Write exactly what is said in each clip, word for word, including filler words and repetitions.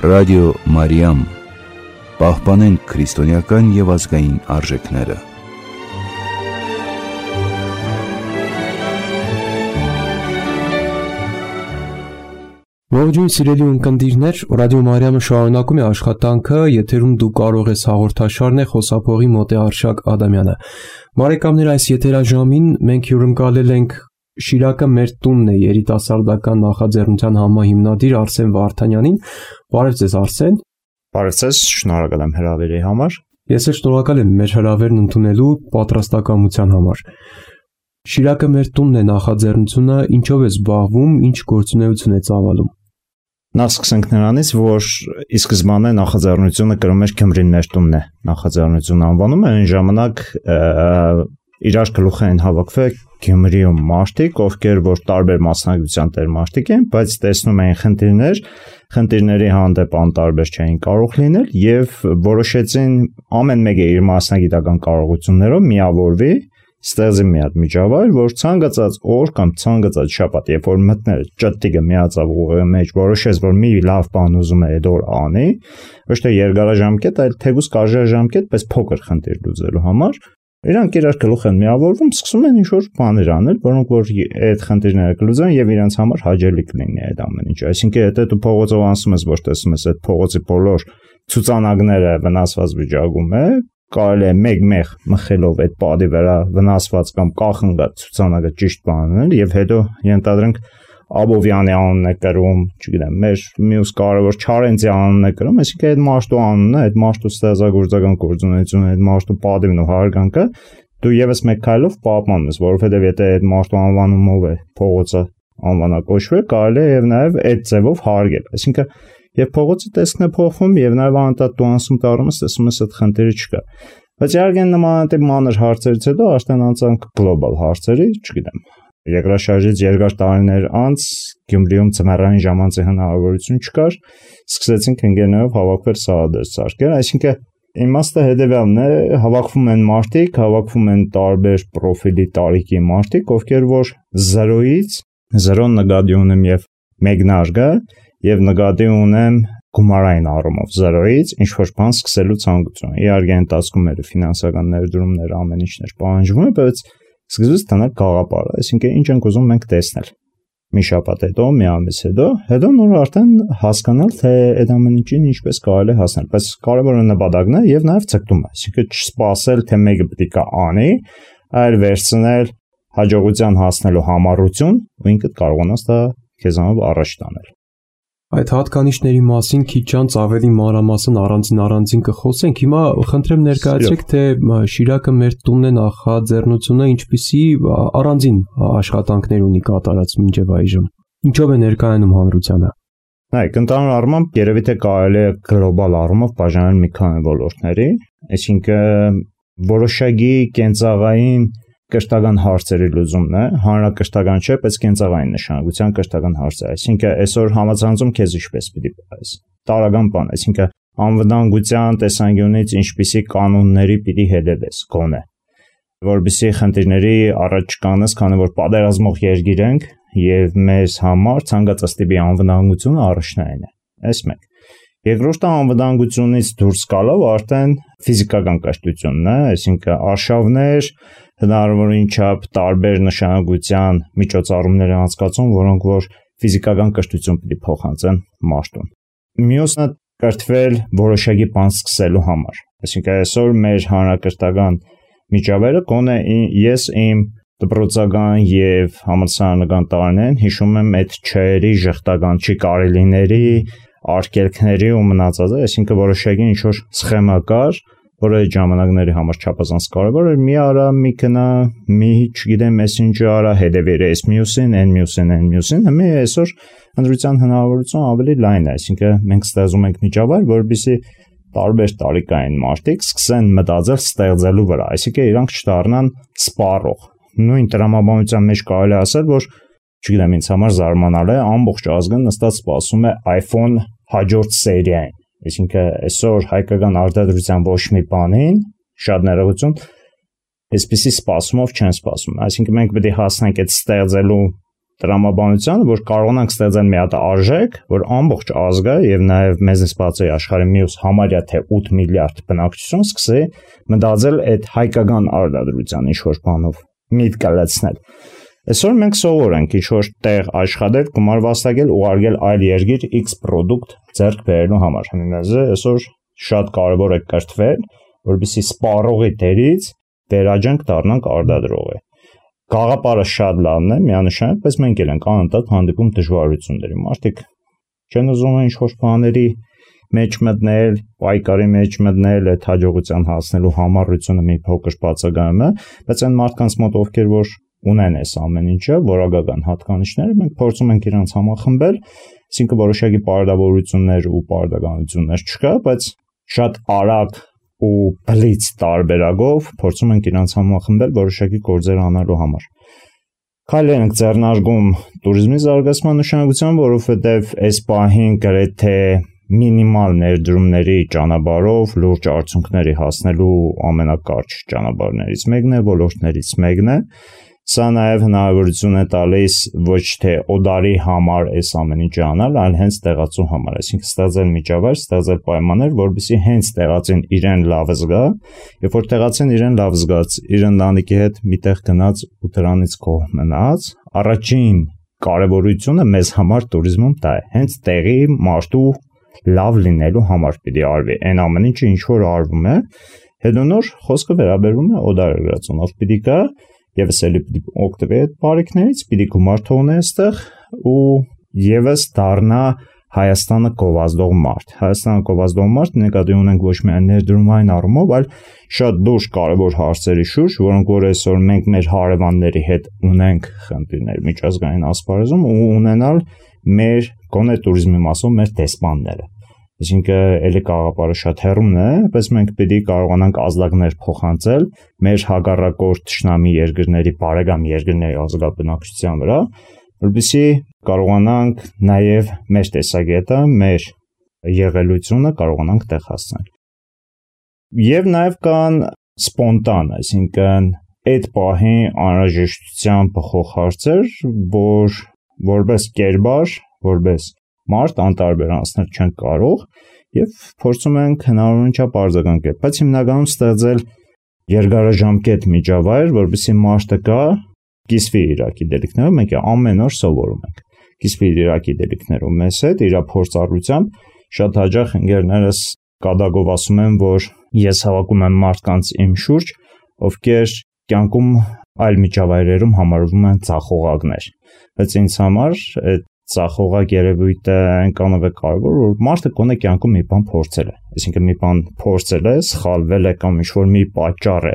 Ռադիո Մարիամ, պահպանենք քրիստոնեական և ազգային արժեքները։ Ողջույն սիրելի ունկնդիրներ, Ռադիո Մարիամը շարունակում է աշխատանքը, եթերում դու կարող ես հաղորդաշարն է, խոսափողի մոտ է Արշակ Ադամյանը։ Բարեկամներ, այս եթերաժամին մենք հյուրընկալել ենք Շիրակը մեր տունն է երիտասարդական նախաձեռնության համահիմնադիր Արսեն Վարդանյանին։ Բարև ձեզ, Արսեն։ Բարև ձեզ, շնորհակալ եմ հրավերի համար։ Ես էլ շնորհակալ եմ մեր հրավերն ընդունելու պատրաստակամության համար։ Շիրակը մեր տունն է նախաձեռնությունը, ինչով է զբաղվում, ինչ գործունեություն է ծավալում։ Նախ սկսենք նրանից, որ ի սկզբանե նախաձեռնությունը կրում էր Գյումրին մեր տունն է նախաձեռնություն անվանումը, այն ժամանակ իրար գլուխ էին հավաքվել Գյումրիում մարդիկ, ովքեր որ տարբեր մասնագիտության տեր մարդիկ են, բայց տեսնում էին խնդիրներ, խնդիրների հանդեպ անտարբեր չէին կարող լինել եւ որոշեցին ամեն մեկը իր մասնագիտական կարողություններով միավորվի, ստեղծի մի հատ միջավայր, որ ցանկացած օր կամ ցանկացած շաբաթ, երբ որ մտներ ճտտիկը միացավ ուղեղի մեջ, որոշեց, որ մի լավ բան ուզում է այդ օր անի, ոչ թե երկարաժամկետ, այլ թեկուզ կարճաժամկետ, բայց փոքր խնդիր լուծելու համար, իրանք իրար գլուխ են միավորվում, սկսում են ինչ-որ բաներ անել, որոնք որ այդ խնդիրները կլուծեն եւ իրենց համար հաճելի կլինի այդ ամեն ինչը։ Այսինքն, եթե դու փողոցով անցնում ես, ոչ տեսնում ես այդ փողոցի բոլոր ցուցանակները վնասված վիճակում է, կարելի է մեկ-մեկ մխելով այդ պատի վրա վնասված կամ կախնգած ցուցանակը ճիշտ բանել եւ հետո ենթադրենք Աբովյանի անունն է կրում, չգիտեմ, մեր մյուս կարևոր Չարենցի անունն է կրում, այսինքն այդ մարդու անունը, այդ մարդու ստեղծագործական գործունեությունը, այդ մարդու պատիվն ու հարգանքը դու եւս մեկ քայլով պահպանում ես, որովհետեւ եթե այդ մարդու անվանումով է փողոցը անվանակոչվել, կարելի է եւ նաեւ այդ ձևով հարգել, այսինքն եւ փողոցի տեսքն է փոխվում եւ նաեւ անընդհատ դու անցում տարում ես, տեսնում ես այդ խնդիրը չկա։ Բայց իհարկե նմանատիպ մանր հարցերից հետո արդեն անցանք գլոբալ հարցերի, չգիտեմ, երկրաշարժից երկար տարիներ անց Գյումրիում ծմերային ժամանցի հնարավորություն չկար, սկսեցինք ընկերներով հավաքվել սալադեր սարքել, այսինքն իմաստը հետևյալն է, հավաքվում են մարդիկ, հավաքվում են տարբեր պրոֆիլի տարիքի մարդիկ, ովքեր որ զրոյից, զրոն նկատի ունեմ եւ մեկնարկը եւ նկատի ունեմ գումարային առումով զրոյից ինչ որ բան սկսելու ցանկություն։ Իհարկե ընթացքում էր ֆինանսական ներդրումներ, ամեն ինչներ պահանջվում է, բայց սկզբից տնակ գաղափարը, այսինքն ինչ ենք ուզում մենք տեսնել։ Մի շաբաթ հետո, մի ամիս հետո, հետո նոր արդեն հասկանալ, թե այդ ամեն ինչին ինչպես կարելի հասնել, բայց կարևորը նպատակն է եւ նաեւ ցկտումը, այսինքն չսպասել, թե մեկը պետք է անի, այլ վերցնել հաջողության հասնելու համառություն ու ինքդ կարողանաս դա քեզանով առաջ տանել։ Այդ հատկանիշների մասին քիչ անց ավելի մանրամասն առանձին առանձին կխոսենք։ Հիմա խնդրեմ ներկայացրեք, թե Շիրակը մեր տունն է նախաձեռնությունը ինչպիսի առանձին աշխատանքներ ունի կատարած մինչև այժմ։ Ինչով է ներկայանում հանրությանը։ Նայեք, ընդհանուր առմամբ երևի թե կարելի է գլոբալ առումով բաժանել մի քանի ոլորտների, այսինքն որոշակի կենցաղային կրթական հարցերի լուծումն է, հանրակրթական չէ, բայց կենցաղային նշանակության կրթական հարց է, այսինքն այսօր համացանցում քեզ ինչպես պիտի պայես, տարական բան, այսինքն անվտանգության տեսանկյունից ինչպիսի կանոնների պիտի հետևես, գոնե, որպեսզի խնդիրների առաջ չկանես, քանի որ պատերազմող երկիր ենք եւ մեզ համար ցանկացած տիպի անվտանգությունը առաջնային է, այս մեկ։ Երկրորդը անվտանգությունից դուրս գալով արդեն ֆիզիկական կրթությունն է, այսինքն արշավներ, հնարավորին չափ տարբեր նշանակության միջոցառումներ են անցկացում, որոնք որ ֆիզիկական կրթություն պիտի փոխանցեն մարդուն։ Մյուսն է կրթվել որոշակի բան սկսելու համար, այսինքն այսօր մեր հանրակրթական միջավայրը գոնե ես իմ դպրոցական եւ համալսարանական տարիներին հիշում եմ այդ չերի ժխտական չի կարելիների արկելքների ու մնացածը, այսինքն որոշակի ինչ որ սխեմա կար, որը այդ ժամանակների համար չափազանց կարևոր էր, մի արա, մի գնա, մի չգիտեմ, ես ինչ արա, հետևեր այս մյուսին, այն մյուսին, այն մյուսին, հիմա այսօր ընտրության հնարավորությունը ավելի լայն է, այսինքն մենք ստեղծում ենք միջավայր, որովհետեւ տարբեր տարիքային մարդիկ սկսեն մտածել ստեղծելու վրա, այսինքն իրանք չդառնան սպառող։ Նույն տրամաբանության մեջ կարելի ասել, որ չգիտեմ, ինձ համար զարմանալ է, ամբողջ ազգը նստած սպասում է iPhone հաջորդ սերիային, այսինքն այսօր հայկական արտադրության ոչ մի բանին շատ ներողություն, այսպեսի սպասումով չեն սպասում, այսինքն մենք պետք է հասնենք այդ ստեղծելու տրամաբանությանը, որ կարողանանք ստեղծել մի հատ արժեք, որ ամբողջ ազգը եւ նաեւ մեզնից բացի աշխարհի մյուս համարյա թե ութ միլիարդ բնակչություն սկսի մտածել այդ հայկական արտադրության ինչ-որ բանով միտք կլացնել։ Այսօր մենք սովոր ենք ինչ-որ տեղ աշխատել, գումար վաստակել, ուղարկել այլ երկիր X product ձեռք բերելու համար։ Հիմնაზე այսօր շատ կարևոր է կրթվել, որովհետեւ սպառողի դերից վերաջանք դառնանք արտադրողի։ Գաղափարը շատ լավն է, միանշանակ, բայց մենք էլ ենք անընդհատ հանդիպում դժվարությունների։ Մարդիկ չեն ուզում ինչ-որ բաների մեջ մտնել, պայքարի մեջ մտնել, այդ հաջողության հասնելու համառությունը մի փոքր բացակայում է, բայց այն մարդկանց մոտ ովքեր որ ունեն այս ամեն ինչը, որակական հատկանիշները, մենք փորձում ենք իրանց համախմբել, այսինքն որոշակի պարտավորություններ ու պարտականություններ չկա, բայց շատ արագ ու բլից տարբերակով փորձում ենք իրանց համախմբել որոշակի գործեր անելու համար։ Քայլեր ենք ձեռնարկում туриզմի զարգացման նշանակությամբ, որովհետև այս պահին գրեթե մինիմալ ներդրումների ճանապարհով լուրջ արդյունքների հասնելու ամենակարճ ճանապարհներից մեկն է, ոլորտներից մեկն է։ Սա նաև հնարավորություն է տալիս ոչ թե օդարի համար այս ամեն ինչը անել, այլ հենց տեղացու համար, այսինքն ստեղծել միջավայր, ստեղծել պայմաններ, որովհետեւ հենց տեղացին իրեն լավ զգա, երբ որ տեղացին իրեն լավ զգաց, իր ընտանիքի հետ միտեղ գնաց ու դրանից կողմ մնաց, առաջին կարևորությունը մեզ համար туриզմում դա է, հենց տեղի մարդու լավ լինելու համար պիտի արվի, այն ամեն ինչը ինչ որ արվում է, հետո նոր խոսքը վերաբերվում է օդարերգրածունով պիտի գա Եվս էլի պիտի օգտվի այդ բարիքներից, պիտի գումար թողնի այստեղ ու եւս դառնա Հայաստանը գովազդող մարդ։ Հայաստանը գովազդող մարդ նկատի ունենք ոչ միայն ներդրումային առումով, այլ շատ դուրս կարևոր հարցերի շուրջ, որոնք որ այսօր մենք մեր հարևանների հետ ունենք խնդիրներ միջազգային ասպարեզում ու ունենալ մեր գոնե туриզմի մասով մեր դեսպանները։ Այսինքն էլի գաղափարը շատ հեռուն է, բայց մենք պիտի կարողանանք ազդակներ փոխանցել մեր հակառակորդ թշնամի երկրների, բարեկամ երկրների ազգաբնակչության վրա, որպեսզի կարողանանք նաև մեր տեսակետը, մեր եղելությունը կարողանանք տեղ հասնել։ Եվ նաև կան սպոնտան, այսինքն այդ պահի անհրաժեշտության բխող հարցեր, որ որպես կերպար, որպես մարդ անտարբերանցնել չեն կարող եւ փորձում ենք հնարավորին չափ արձագանքել, բայց հիմնականում ստեղծել երկարաժամկետ միջավայր, որովհետեւ մարդը կա կիսվի իր գիտելիքներով, մենք ամեն օր սովորում ենք։ Կիսվի իր գիտելիքներով մեզ հետ, իր փորձառությամբ շատ հաճախ ընկերներս կադագով ասում են, որ ես հավաքում եմ մարդկանց իմ շուրջ, ովքեր կյանքում այլ միջավայրերում համարվում են ցախողակներ։ Բայց ինձ համար այդ ցախողակ երևույթը այնքանով է կարևոր, որ մարդը կոնե կյանքում մի բան փորձել է։ Այսինքն մի բան փորձել է, սխալվել է կամ ինչ-որ մի պատճառ է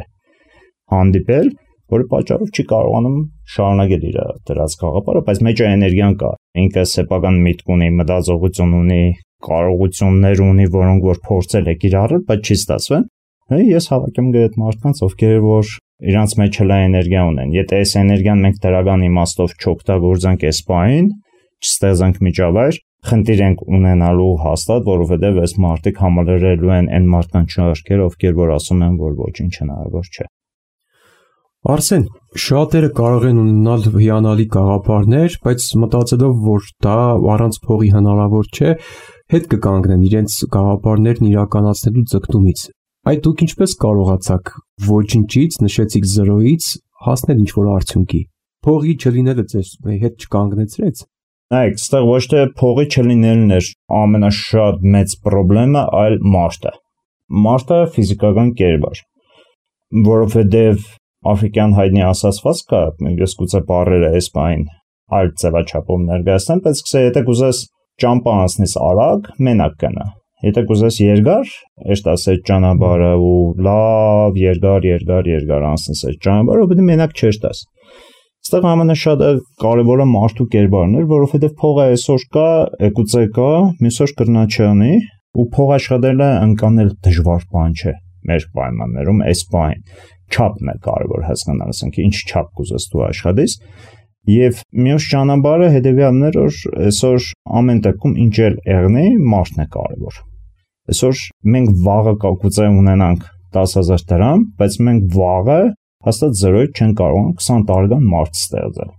հանդիպել, որի պատճառով չի կարողանում շարունակել իր դրած գաղափարը, բայց մեջը էներգիան կա։ Ինքը սեփական միտք ունի, մտածողություն ունի, կարողություններ ունի, որոնք որ փորձել է կիրառել, բայց չի ստացվել։ Ես հավաքում եմ այդ մարդկանց, ովքեր որ իրանց մեջ հլա էներգիա ունեն։ Եթե այս էներգիան մենք դրական իմաստով չօգտագործենք այս պահին, չստեղծենք միջավայր, խնդիր ենք ունենալու հաստատ, որովհետև այս մարդիկ համալրելու են այն մարդկանց շարքերը, ովքեր որ ասում են, որ ոչինչ հնարավոր չէ։ Արսեն, շատերը կարող են ունենալ հիանալի գաղափարներ, բայց մտածելով, որ դա առանց փողի հնարավոր չէ, հետ կկանգնեն իրենց գաղափարներն իրականացնելու ձգտումից։ Այդ դուք ինչպես կարողացաք ոչինչից, նշեցիք զրոյից հասնել ինչ-որ արդյունքի։ Փողի չլինելը ձեզ հետ չկանգնեցրեց։ Նայեք, այստեղ ոչ թե փողի չլինելն էր ամենաշատ մեծ խնդրը, այլ մարդը։ Մարդը ֆիզիկական կերպար, որովհետև աֆրիկյան հայտնի ասացված կա, ես գուցե բառերը այս բային այլ ձևաչափով ներկայացնեմ, բայց գուցե եթե կուզես ճամփա անցնես արագ, մենակ կնա։ Եթե կուզես երկար, ըստ ասած ճանապարհը ու լավ երկար, երկար, երկար անցնես այդ ճանապարհը, պետք է մենակ չես տաս։ Այստեղ ամենաշատը կարևորը մարդու կերպարն էր, որովհետև փողը այսօր կա, գուցե կա, մյուսօր կրնա չանի, ու փող աշխատելը ընկանել դժվար բան չէ մեր պայմաններում, այս բան չափն է կարևոր հասկանալ, ասենք ինչ չափ կուզես դու աշխատես, եւ մյուս ճանապարհը հետեւյալն էր, որ այսօր ամեն դեպքում ինչ էլ եղնի, մարդն է կարևոր։ Այսօր մենք վաղը կգուցե ունենանք տասը հազար դրամ, բայց մենք վաղը հաստատ զրոյ չեն կարող քսան տարեկան մարդ ստեղծել։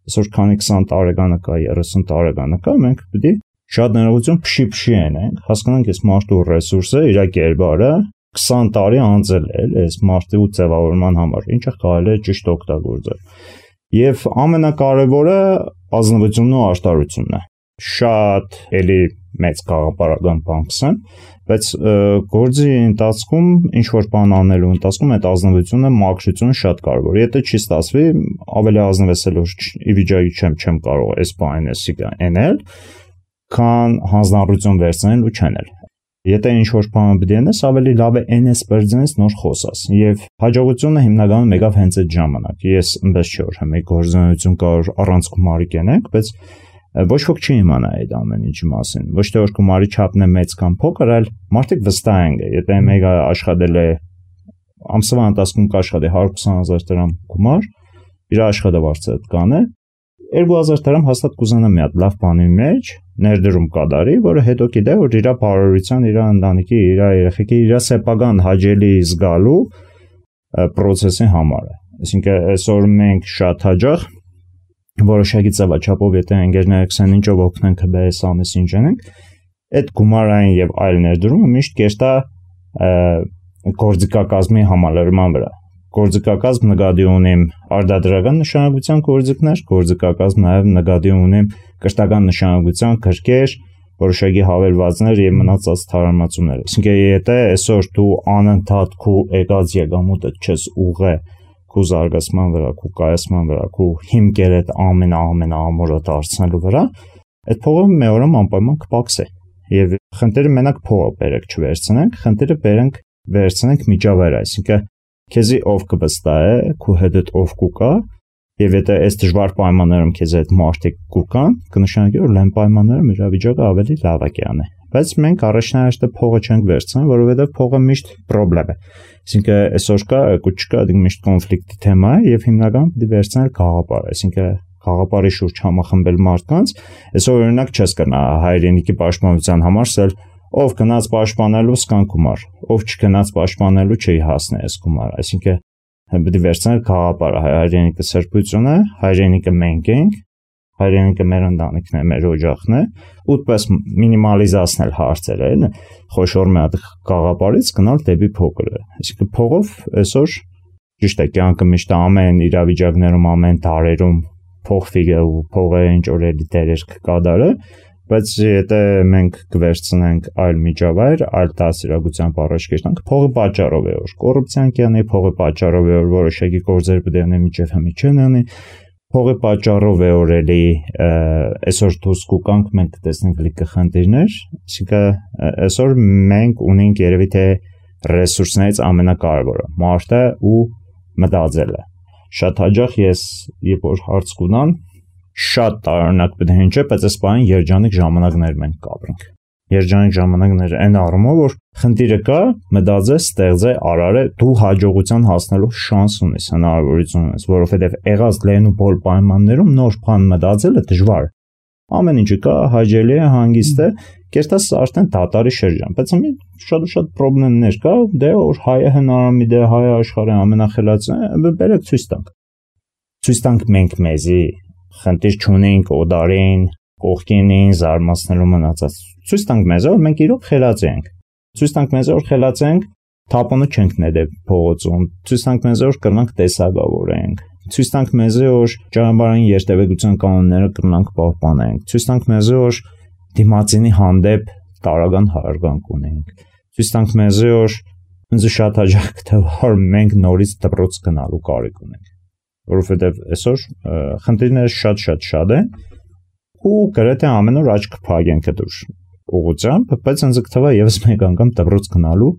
այսօր քանի քսան տարեկանը կա, երեսուն տարեկանը կա, մենք պետք է շատ ներողություն փշի-փշի ենք, հասկանանք այս մարդու ռեսուրսը, իր կերպարը քսան տարի անցել է, այս մարդու ձևավորման համար, ինչը կարելի է ճիշտ օգտագործել։ Եվ ամենակարևորը ազնվությունն ու աշտարությունն է։ Շատ էլի մեծ գաղափարական բան կսեմ, բայց գործի ընթացքում ինչ որ բան անելու ընթացքում այդ ազնվությունը, մաքրությունը շատ կարևոր է։ Եթե չի ստացվի, ավելի ազնվեցելով ի վիճակի չեմ, չեմ կարող այս բանն էսի անել, քան հանձնառություն վերցնել ու չանել։ Եթե ինչ որ բան պետք է անես, ավելի լավ է այնես բերձենես նոր խոսաս։ Եվ հաջողությունը հիմնականում եկավ հենց այդ ժամանակ։ Ես այնպես չէ որ մի գործունեություն կար առանց գումարի կենենք, բայց ոչ ոք չի իմանա այդ ամեն ինչի մասին։ Ոչ թե որ գումարի չափն է մեծ կամ փոքր, այլ մարդիկ վստահ են։ Եթե մեկը աշխատել է ամսվա ընթացքում կաշխատի հարյուր քսան հազար դրամ գումար, իր աշխատավարձը այդ կան է, երկու հազար դրամ հաստատ կուզենա մի հատ լավ բանի մեջ ներդրում կատարի, որը հետո գիտե որ իր բարօրության, իր ընտանիքի, իր երեխեքի, իր սեփական հաճելի զգալու process-ի համար է։ Այսինքն այսօր մենք շատ հաճախ որոշակի ծավալչափով եթե ընկերները քսան ինչով օգնենք հբես ամիս ինչ անենք, այդ գումարային եւ այլ ներդրումը միշտ կերտա գործիքակազմի համալրման վրա։ Գործիքակազմ նկատի ունեմ արտադրական նշանակության գործիքներ, գործիքակազմ նաև նկատի ունեմ կրթական նշանակության գրքեր, որոշակի հավելվածներ եւ մնացած թարմացումներ։ Այսինքն եթե այսօր դու անընդհատ քո եկած եկամուտը չես ուղղե քո զարգացման վրա, քո կայացման վրա, քո հիմքերը այդ ամեն ամեն ամորը դարձնելու վրա, այդ փողը մեօրում անպայման կփակսի։ Եվ խնդիրը մենակ փողը բերեք չվերցնենք, խնդիրը բերենք վերցնենք միջավայր, այսինքն քեզի ով կվստահե, քո հետ ով կուկա, եւ եթե այս դժվար պայմաններում քեզ այդ մարդիկ կուկան, կնշանակի որ լայն պայմաններում իրավիճակը ավելի լավ է կյանը։ Բայց մենք առաջնահերթը փողը չենք վերցնում, որովհետեւ փողը միշտ խնդրեմ է։ Այսինքն այսօր կա, կու չկա, դու միշտ կոնֆլիկտի թեմա է եւ հիմնական պետք է վերցնել գաղափար, այսինքն գաղափարի շուրջ համախմբել մարդկանց, այսօր օրինակ չես կնա հայրենիքի պաշտպանության համար սել ով գնաց պաշտպանելու սկան գումար, ով չգնաց պաշտպանելու չի հասնի այս գումարը, այսինքն պետք է վերցնել գաղափարը, հայրենիքը սրբությունը, հայրենիքը մենք ենք, հայրենիքը մեր ընտանիքն է, մեր օջախն է, ուտպես մինիմալիզացնել հարցերը, այն խոշոր մի հատ գաղափարից գնալ դեպի փոքրը, այսինքն փողով այսօր ճիշտ է կյանքը միշտ ամեն իրավիճակներում, ամեն տարերում փոխվի ու փողը ինչ որ էլի դերեր կկատարը, բայց եթե մենք կվերցնենք այլ միջավայր, այլ դասիրակությամբ առաջ կեշտանք, փողը պատճառով է որ կոռուպցիան կյանի, փողը պատճառով է որ որոշակի գործեր պետք է անեն միջև հիմի չեն անի, փողը պատճառով է որ էլի այսօր դուրս կուկանք մենք կտեսնենք լիքը խնդիրներ, այսինքն այսօր մենք ունենք երևի թե ռեսուրսներից ամենակարևորը, մարդը ու մտածելը։ Շատ հաճախ ես երբ որ հարց կունան շատ տարօրինակ պետք է հնչի, բայց այս բանը երջանիկ ժամանակներ մենք կապրենք։ Երջանիկ ժամանակներ այն առումով, որ խնդիրը կա, մտածես, ստեղծե, արարե, դու հաջողության հասնելու շանս ունես, հնարավորություն ունես, որովհետև եղած լեն ու բոլ պայմաններում նոր բան մտածելը դժվար է։ Ամեն ինչը կա, հաճելի է, հանգիստ է, կերտած արդեն դատարի շրջան, բայց մի շատ ու շատ խնդիրներ կա, դե որ հայը հնարամիտ է, հայը աշխարհի ամենախելացն է, բերեք ցույց տանք։ Ցույց տանք մենք մեզի խնդիր չունենք օդարին, կողքինին, զարմացնելու մնացած։ Ցույց տանք մեզ, որ մենք իրոք խելացի ենք։ Ցույց տանք մեզ, որ խելացի ենք, թափոնը չենք ներել փողոցում։ Ցույց տանք մեզ, որ կրնանք տեսակավորենք։ Ցույց տանք մեզ, որ ճանապարհային երթևեկության կանոնները կրնանք պահպանենք։ Ցույց տանք մեզ, որ դիմացինի հանդեպ տարական հարգանք ունենք։ Ցույց տանք մեզ, որ ինձ շատ հաճախ կթվա, որ մենք նորից դպրոց գնալու կարիք ունենք։ Որովհետև այսօր խնդիրները շատ-շատ շատ են ու գրեթե ամեն օր աչք փակենք այդ ուղղությամբ, բայց ինձ կթվա եւս մեկ անգամ դպրոց գնալու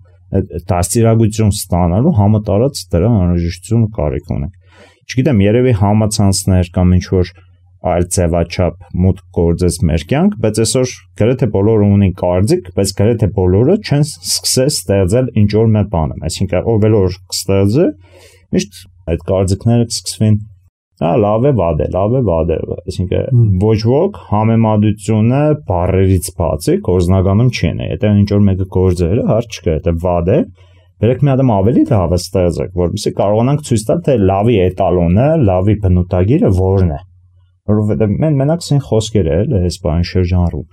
դաստիարակություն ստանալու համատարած դրա անհրաժեշտությունը կարիք ունենք։ Չգիտեմ, երևի համացանցներ կամ ինչ որ այլ ձևաչափ մուտք գործես մեր կյանք, բայց այսօր գրեթե բոլորը ունեն կարծիք, բայց գրեթե բոլորը չեն սկսել ստեղծել ինչ որ մի բան, այսինքն ով էլ որ կստեղծի, միշտ այդ կարծիքները կսկսվին, հա լավ է, վատ է, լավ է, վատ է, այսինքն ոչ ոք համեմատությունը բառերից բացի գործնականում չեն, եթե ինչ որ մեկը գործերը հարց չկա, եթե վատ է, բերեք մի հատ ավելի լավը ստեղծեք, որովհետեւ կարողանանք ցույց տալ, թե լավի էտալոնը, լավի բնութագիրը որն է։ որովհետև մենք մենակ ցին խոսքեր էլ այս բան շրջանառում։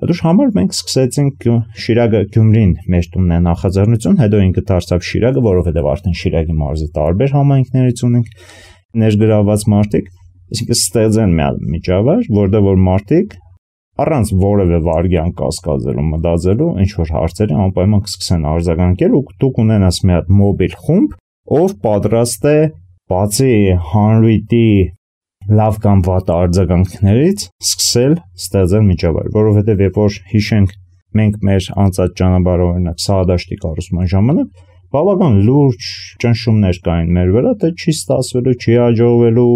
Դուք համար մենք սկսեցինք Շիրակը Գյումրին մեր տունն է նախաձեռնություն, հետո ինքը դարձավ Շիրակը, որովհետև արդեն Շիրակի մարզի տարբեր համայնքներից ունենք ներգրաված մարդիկ, այսինքն ստեղծեն մի միջավայր, որտեղ որ մարդիկ առանց որևէ վարքյան կասկածելու, մտածելու, ինչ որ հարցերի անպայման կսկսեն արձագանքել ու դուք ունենաս մի հատ մոբիլ խումբ, ով պատրաստ է բացի հանրույթի լավ կամ վատ արձագանքներից սկսել ստեղծել միջավայր, որովհետև երբ որ հիշենք մենք մեր անցած ճանապարհը օրինակ Սահադաշտի կառուցման ժամանակ բավական լուրջ ճնշումներ կային մեր վրա, թե չի ստացվելու, չի հաջողվելու,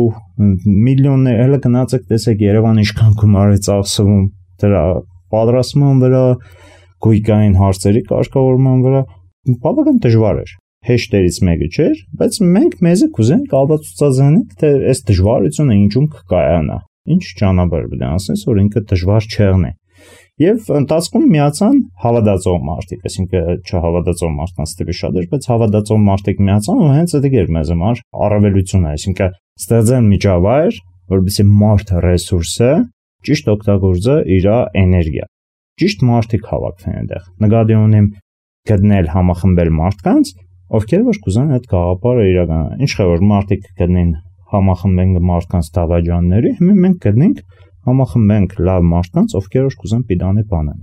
միլիոններ, հələ գնացեք տեսեք Երևանը ինչքան գումար է ծախսվում դրա պատրաստման վրա, գույքային հարցերի կարգավորման վրա, բավական դժվար էր։ Հեշտերից մեկը չէր, բայց մենք մեզ կուզենք ապացուցանենք, թե այս դժվարությունը ինչու կկայանա, ինչ ճանապարհ պետք է անցնես, որ ինքը դժվար չեղնի։ Եվ ընթացքում միացան հավատացող մարդիկ, այսինքն չհավատացող մարդկանց թիվը շատ էր, բայց հավատացող մարդիկ միացան ու հենց դա էր մեզ համար առավելությունը, այսինքն ստեղծել միջավայր, որովհետեւ մարդը ռեսուրսը ճիշտ օգտագործը իր էներգիա։ Ճիշտ մարդիկ հավաքվեն այնտեղ։ Նկատի ունեմ գտնել համախմբել մարդկանց, ովքեր որ կուզեն այդ գաղափարը իրականացնել։ Ինչ է որ մարդիկ գտնեն համախմբենք մարդկանց դավաճանների, հիմա մենք գտնենք համախմբենք լավ մարդկանց, ովքեր որ կուզեն պիտանի բանան։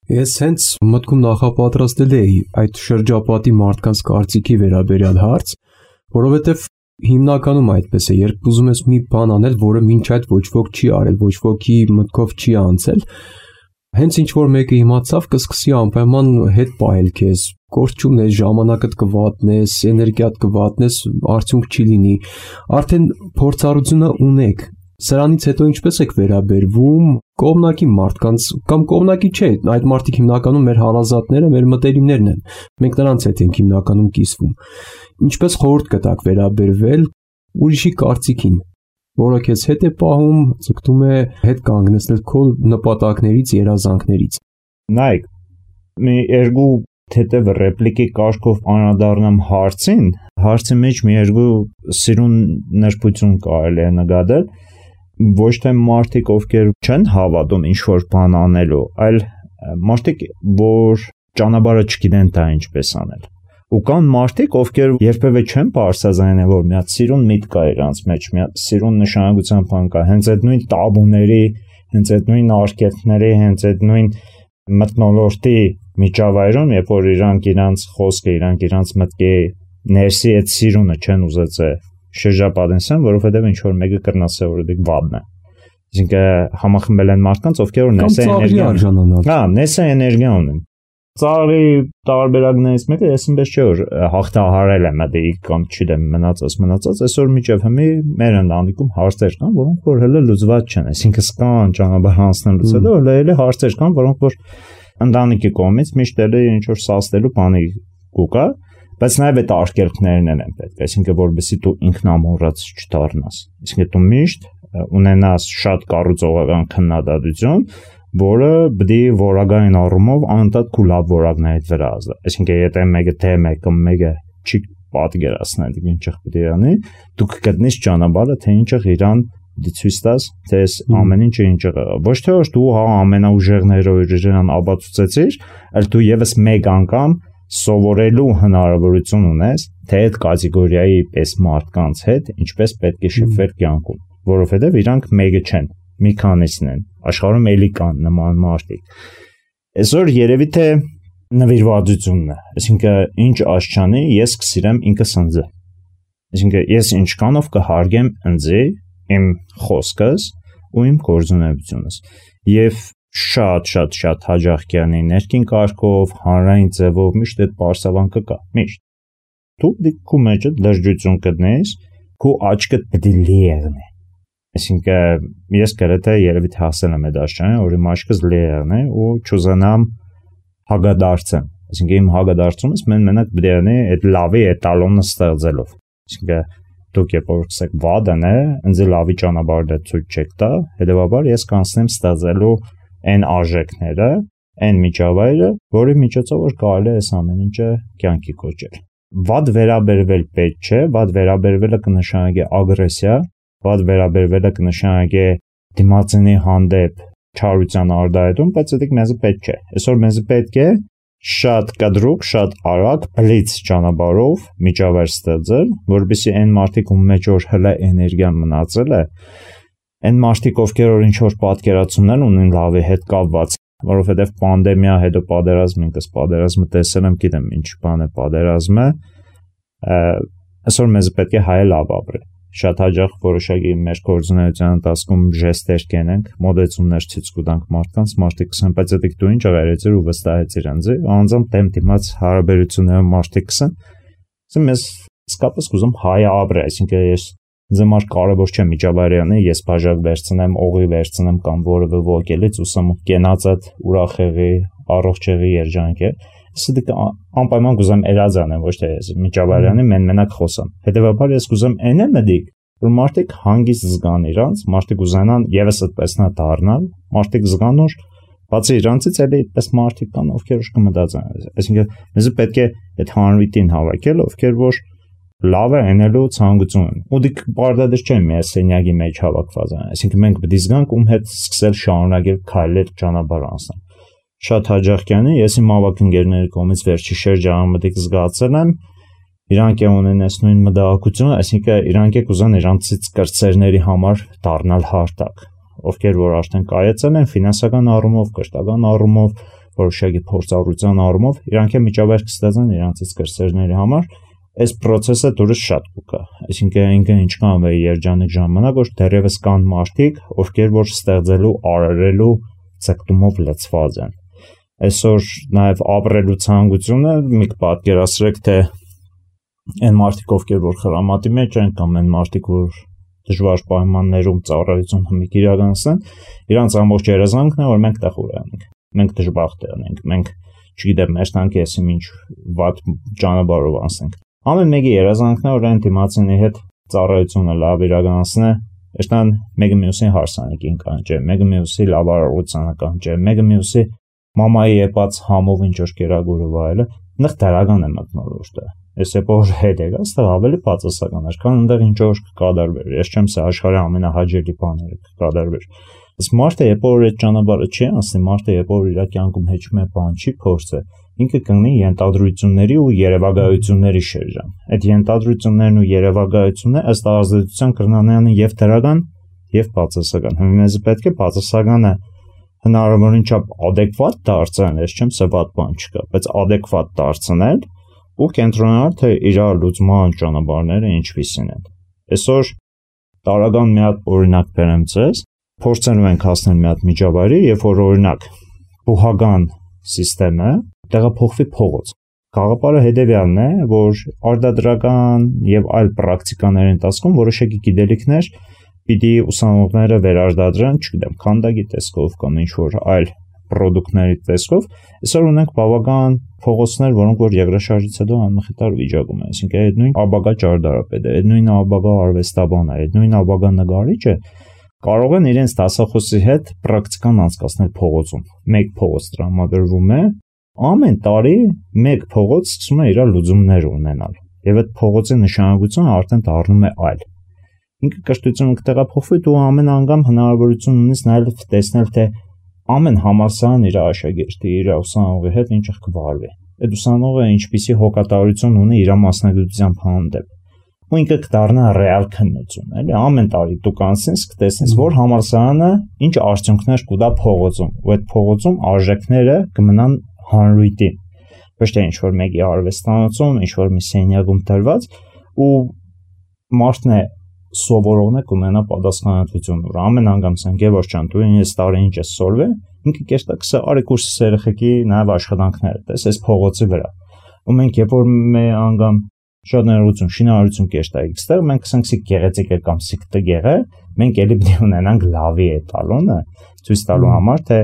Ես հենց մտքում նախապատրաստել էի այդ շրջապատի մարդկանց կարծիքի վերաբերյալ հարց, որովհետև հիմնականում այդպես է, երբ ուզում ես մի բան անել, որը մինչ այդ ոչ ոք չի արել, ոչ ոքի մտքով չի անցել, հենց ինչ որ մեկը իմացավ, կսկսի անպայման հետ պահել քեզ, գործ չունես, ժամանակդ կվատնես, էներգիադ կվատնես, արդյունք չի լինի։ Արդեն փորձառությունը ունեք։ Սրանից հետո ինչպես եք վերաբերվում կողմնակի մարդկանց կամ կողմնակի չէ, այդ մարդիկ հիմնականում մեր հարազատները, մեր մտերիմներն են։ Մենք նրանց հետ ենք հիմնականում կիսվում։ Ինչպես խորհուրդ կտաք վերաբերվել ուրիշի կարծիքին, որը քեզ հետ է պահում, ցկտում է հետ կանգնեցնել քո նպատակներից, երազանքներից։ Նայեք, մի երկու թեթև ռեպլիկի կարգով անդրադառնամ հարցին, հարցի մեջ մի երկու սիրուն նրբություն կարելի է նկատել, ոչ թե մարդիկ, ովքեր չեն հավատում ինչ-որ բան անելու, այլ մարդիկ, որ ճանապարհը չգիտեն դա ինչպես անել։ Ու կան մարդիկ, ովքեր երբևէ չեն բարձրացանել, որ մի հատ սիրուն միտք կա իրանց մեջ, մի հատ սիրուն նշանակության բան կա, հենց այդ նույն տաբուների, հենց այդ նույն արկելքների, հենց այդ նույն մթնոլորտի միջավայրում, երբ որ իրանք իրանց խոսքը, իրանք իրանց մտքի ներսի այդ սիրունը չեն ուզեցել շրջապատեն, որովհետև ինչ որ մեկը կրնասը որ դիք վաբն է։ Այսինքն համախմբել են մարդկանց, ովքեր որ նեսա էներգիա ունեն։ Հա, նեսա էներգիա ունեն։ Ծառի տարբերակներից մեկը ես ինպես չէ որ հաղթահարել եմ դա կամ չգիտեմ մնացած մնացած այսօր միջև հիմի մեր ընտանիքում հարցեր կան, որոնք որ հələ լուծված չեն, այսինքն սկան ճանապարհ անցնելուց հետո հələ հարցեր կան, որոնք որ ընտանիքի կողմից միշտ էլ ինչ որ սաստելու բանի կուկա, բայց նաև այդ արկելքներն են պետք, այսինքն որովհետեւ դու ինքնամոռաց չդառնաս, այսինքն դու միշտ ունենաս շատ կառուցողական քննադատություն, որը պետք է որակային առումով անդադ քու լավ որակներից վրա ազդի, այսինքն եթե մեկը թե մեկը մեկը չի պատկերացնել ինչը պետք է անի, դու կգտնես ճանապարհը, թե ինչը իրան դիցույց տաս, թե ամեն ինչը ինչը ոչ թե որ դու հա ամենաուժեղներով իրան ապացուցեցիր, այլ դու եւս մեկ անգամ սովորելու հնարավորություն ունես, թե այդ կատեգորիայի պես մարդկանց հետ ինչպես պետք է շփվել կյանքում, որովհետև իրանք մեկը չեն, մի քանիսն են, աշխարհում էլի կան նման մարդիկ։ Այսօր երևի թե նվիրվածությունն է, այսինքն ինչ աշխանի ես կսիրեմ ինքս ինձ։ Այսինքն ես ինչքանով կհարգեմ ինձ, իմ խոսքս ու իմ գործունեությունս։ Եվ շատ շատ շատ հաջող կյանի ներքին կարգով, հանրային ձևով միշտ այդ բարձավանքը կա, միշտ։ Դու դիքու մեջը լրջություն կդնես, քո աչքդ պետք է լի եղնի։ Այսինքն ես գրեթե երևի թե հասել եմ այդ աշխարհին, որ իմ աչքս լի եղնի ու չուզենամ հագադարձեմ։ Այսինքն իմ հագադարձումս մեն մենակ պետք է անի այդ լավի էտալոնը ստեղծելով։ Այսինքն դուք երբ որ կսեք վադն է, ինձ լավի ճանապարհը ցույց չեք տա, հետեւաբար ես կանցնեմ ստեղծելու այն արժեքները, այն միջավայրը, որի միջոցով որ կարելի է այս ամեն ինչը կյանքի կոչել։ Վատ վերաբերվել պետք չէ, վատ վերաբերվելը կնշանակի ագրեսիա, վատ վերաբերվելը կնշանակի դիմացինի հանդեպ չարության արդայություն, բայց դա մեզ պետք չէ։ Այսօր մեզ պետք է շատ կտրուկ, շատ արագ, բլից ճանապարհով միջավայր ստեղծել, որովհետեւ այն մարդիկ, ում մեջ որ հլա էներգիան մնացել է, այն մարդիկ, ովքեր որ ինչ-որ պատկերացումներ ունեն լավի հետ կապված, որովհետեւ պանդեմիա, հետո պատերազմ, ինքս պատերազմը տեսել եմ, գիտեմ ինչ բան է պատերազմը, այսօր մեզ պետք է հայ լավ ապրել։ Շատ հաճախ որոշակի մեր գործունեության ընթացքում ժեստեր կենենք, մոդեցումներ ցույց կտանք մարդկանց, մարդիկ կսեն, բայց դա դու ինչ աղերեցիր ու վստահեցիր ինձ, անձամբ դեմ դիմաց հարաբերություններով մարդիկ կսեն, ասեմ ես իսկապես կուզում հայ ապրել, այսինքն ես ինձ համար կարևոր չէ միջավայրյանը, ես բաժակ վերցնեմ, օղի վերցնեմ կամ որևէ ոգելից ուսամ կենացած ուրախ եղի, առողջ եղի երջանք է։ Սա անպայման կուզեմ էրազանեմ, ոչ թե ես միջավայրյանի մեն մենակ խոսամ։ Հետևաբար ես կուզեմ այն եմ դիք, որ մարդիկ հանգիստ զգան իրանց, մարդիկ ուզենան եւս այդպես նա դառնալ, մարդիկ զգան որ բացի իրանցից էլի այդպես մարդիկ կան, ովքեր կմտածեն։ Այսինքն մեզ պետք է այդ հանրույթին հավաքել, ովքեր որ լավ է անելու ցանկություն ունեն։ Ու դիք բարդադեր չեն մի սենյակի մեջ հավաքված են։ Այսինքն մենք պետք է զգանք ում հետ սկսել շարունակել քայլել ճանապարհ անցնել։ Շատ հաճախ ես իմ ավակ ընկերների կողմից վերջի շրջանում մտիկ զգացել եմ, իրանք է ունեն այս նույն մտահոգությունը, այսինքն իրանք է կուզեն իրանցից կրտսերների համար դառնալ հարթակ, ովքեր որ արդեն կայացել են ֆինանսական առումով, կրթական առումով, որոշակի փորձառության առումով, իրանք է միջավայր կստեղծեն իրանցից կրտսերների համար, այս process-ը դուրս շատ կուկա, այսինքն ինքը ինչքան է երջանիկ ժամանակ, որ դեռևս կան մարդիկ, ովքեր որ ստեղծելու, արարելու ցկտումով լցված են։ Այսօր նաև ապրելու ցանկությունը մի պատկերացրեք թե այն մարդիկ ովքեր որ խրամատի մեջ են կամ այն մարդիկ որ դժվար պայմաններում ծառայություն հմիկ իրականացնեն, իրանց ամբողջ երազանքն է որ մենք տեղ ունենք, մենք դժբախտ ենք, մենք չգիտեմ մեր տանկի էսի ինչ վատ ճանապարհով անցնենք։ Ամեն մեկի երազանքն է որ այն դիմացինի հետ ծառայությունը լավ իրականացնե, այստան մեկը մյուսին հարսանեկին կանչե, մեկը մյուսի լավ արարողությանը կանչե, մեկը մյուսի մամայի եպած համով ինչ որ կերագուրը վայելը, այնտեղ դրական է մտնոլորտ է։ Ես եպոր հետ եկա, այստեղ ավելի բացասական էր, քան այնտեղ ինչ որ կկատարվեր։ Ես չեմ ասա աշխարհի ամենահաջելի բաները կկատարվեր։ Իսկ մարդը եպոր այդ ճանապարհը չի անցնի, մարդը եպոր իր կյանքում հեչ մի բան չի փորձը, ինքը կգնի ենթադրությունների ու երևակայությունների շրջան։ Այդ ենթադրություններն ու երևակայությունները ըստ ազդեցության կրնանային եւ դրական եւ բացասական։ Մեզ պետք է բացասականը հնարավորին չափ adekvat դարձնել, ես չեմ սեփած բան չկա, բայց adekvat դարձնել ու կենտրոնանալ թե իր լուծման ճանապարհները ինչպիսին են։ Այսօր տարական մի հատ օրինակ բերեմ ձեզ, փորձելու ենք հասնել մի հատ միջավայրի, երբ որ օրինակ բուհական համակարգը տեղափոխվի փողոց։ Գաղափարը հետևյալն է, որ արտադրական եւ այլ պրակտիկաների ընթացքում որոշակի գիտելիքներ պիտի ուսանողները վերարտադրեն, չգիտեմ, քանդակի տեսքով կամ ինչ-որ այլ պրոդուկտների տեսքով, այսօր ունենք բավական փողոցներ, որոնք որ երկրաշարժից հետո անմխիթար վիճակում են, այսինքն այդ նույն աբագա ճարտարապետը, այդ նույն աբագա արվեստաբանը, այդ նույն աբագա նկարիչը կարող են իրենց դասախոսի հետ պրակտիկան անցկացնել փողոցում։ Մեկ փողոց տրամադրվում է, ամեն տարի մեկ փողոց սկսում է իր լուծումներ ունենալ, եւ այդ փողոցի նշանակությունը արդեն դառնում է այլ։ Ինքը կրթությունը կտեղափոխվի, դու ամեն անգամ հնարավորություն ունես նաև տեսնել թե ամեն համալսարան իր աշակերտի, իր ուսանողի հետ ինչ կվարվի։ Այդ ուսանողը ինչպիսի հոգատարություն ունի իր մասնագիտության հանդեպ։ Ու ինքը կդառնա ռեալ քննություն, էլի ամեն տարի դու կանցնես, կտեսնես, որ համալսարանը ինչ արդյունքներ կուտա փողոցում, ու այդ փողոցում արժեքները կմնան հանրույթին։ Ոչ թե ինչ որ մեկի արվեստանոցում, ինչ որ մի սենյակում դրված, ու մարդն է սովորողն է կունենա պատասխանատվություն, որ ամեն անգամ ասենք Գևորգ ջան, դու այս տարի ինչ ես սորվել, ինքը կերտակսը արի կուրսի երեխեքի նաև աշխատանքները, տես այս փողոցի վրա։ Ու մենք երբ որ մի անգամ շատ ներողություն, շինարարություն կերտայիք, ստեղ մենք ասենք սիկ գեղեցիկ է կամ սիկ տգեղ է, մենք էլի պետք է ունենանք լավի է տալոնը, ցույց տալու համար, թե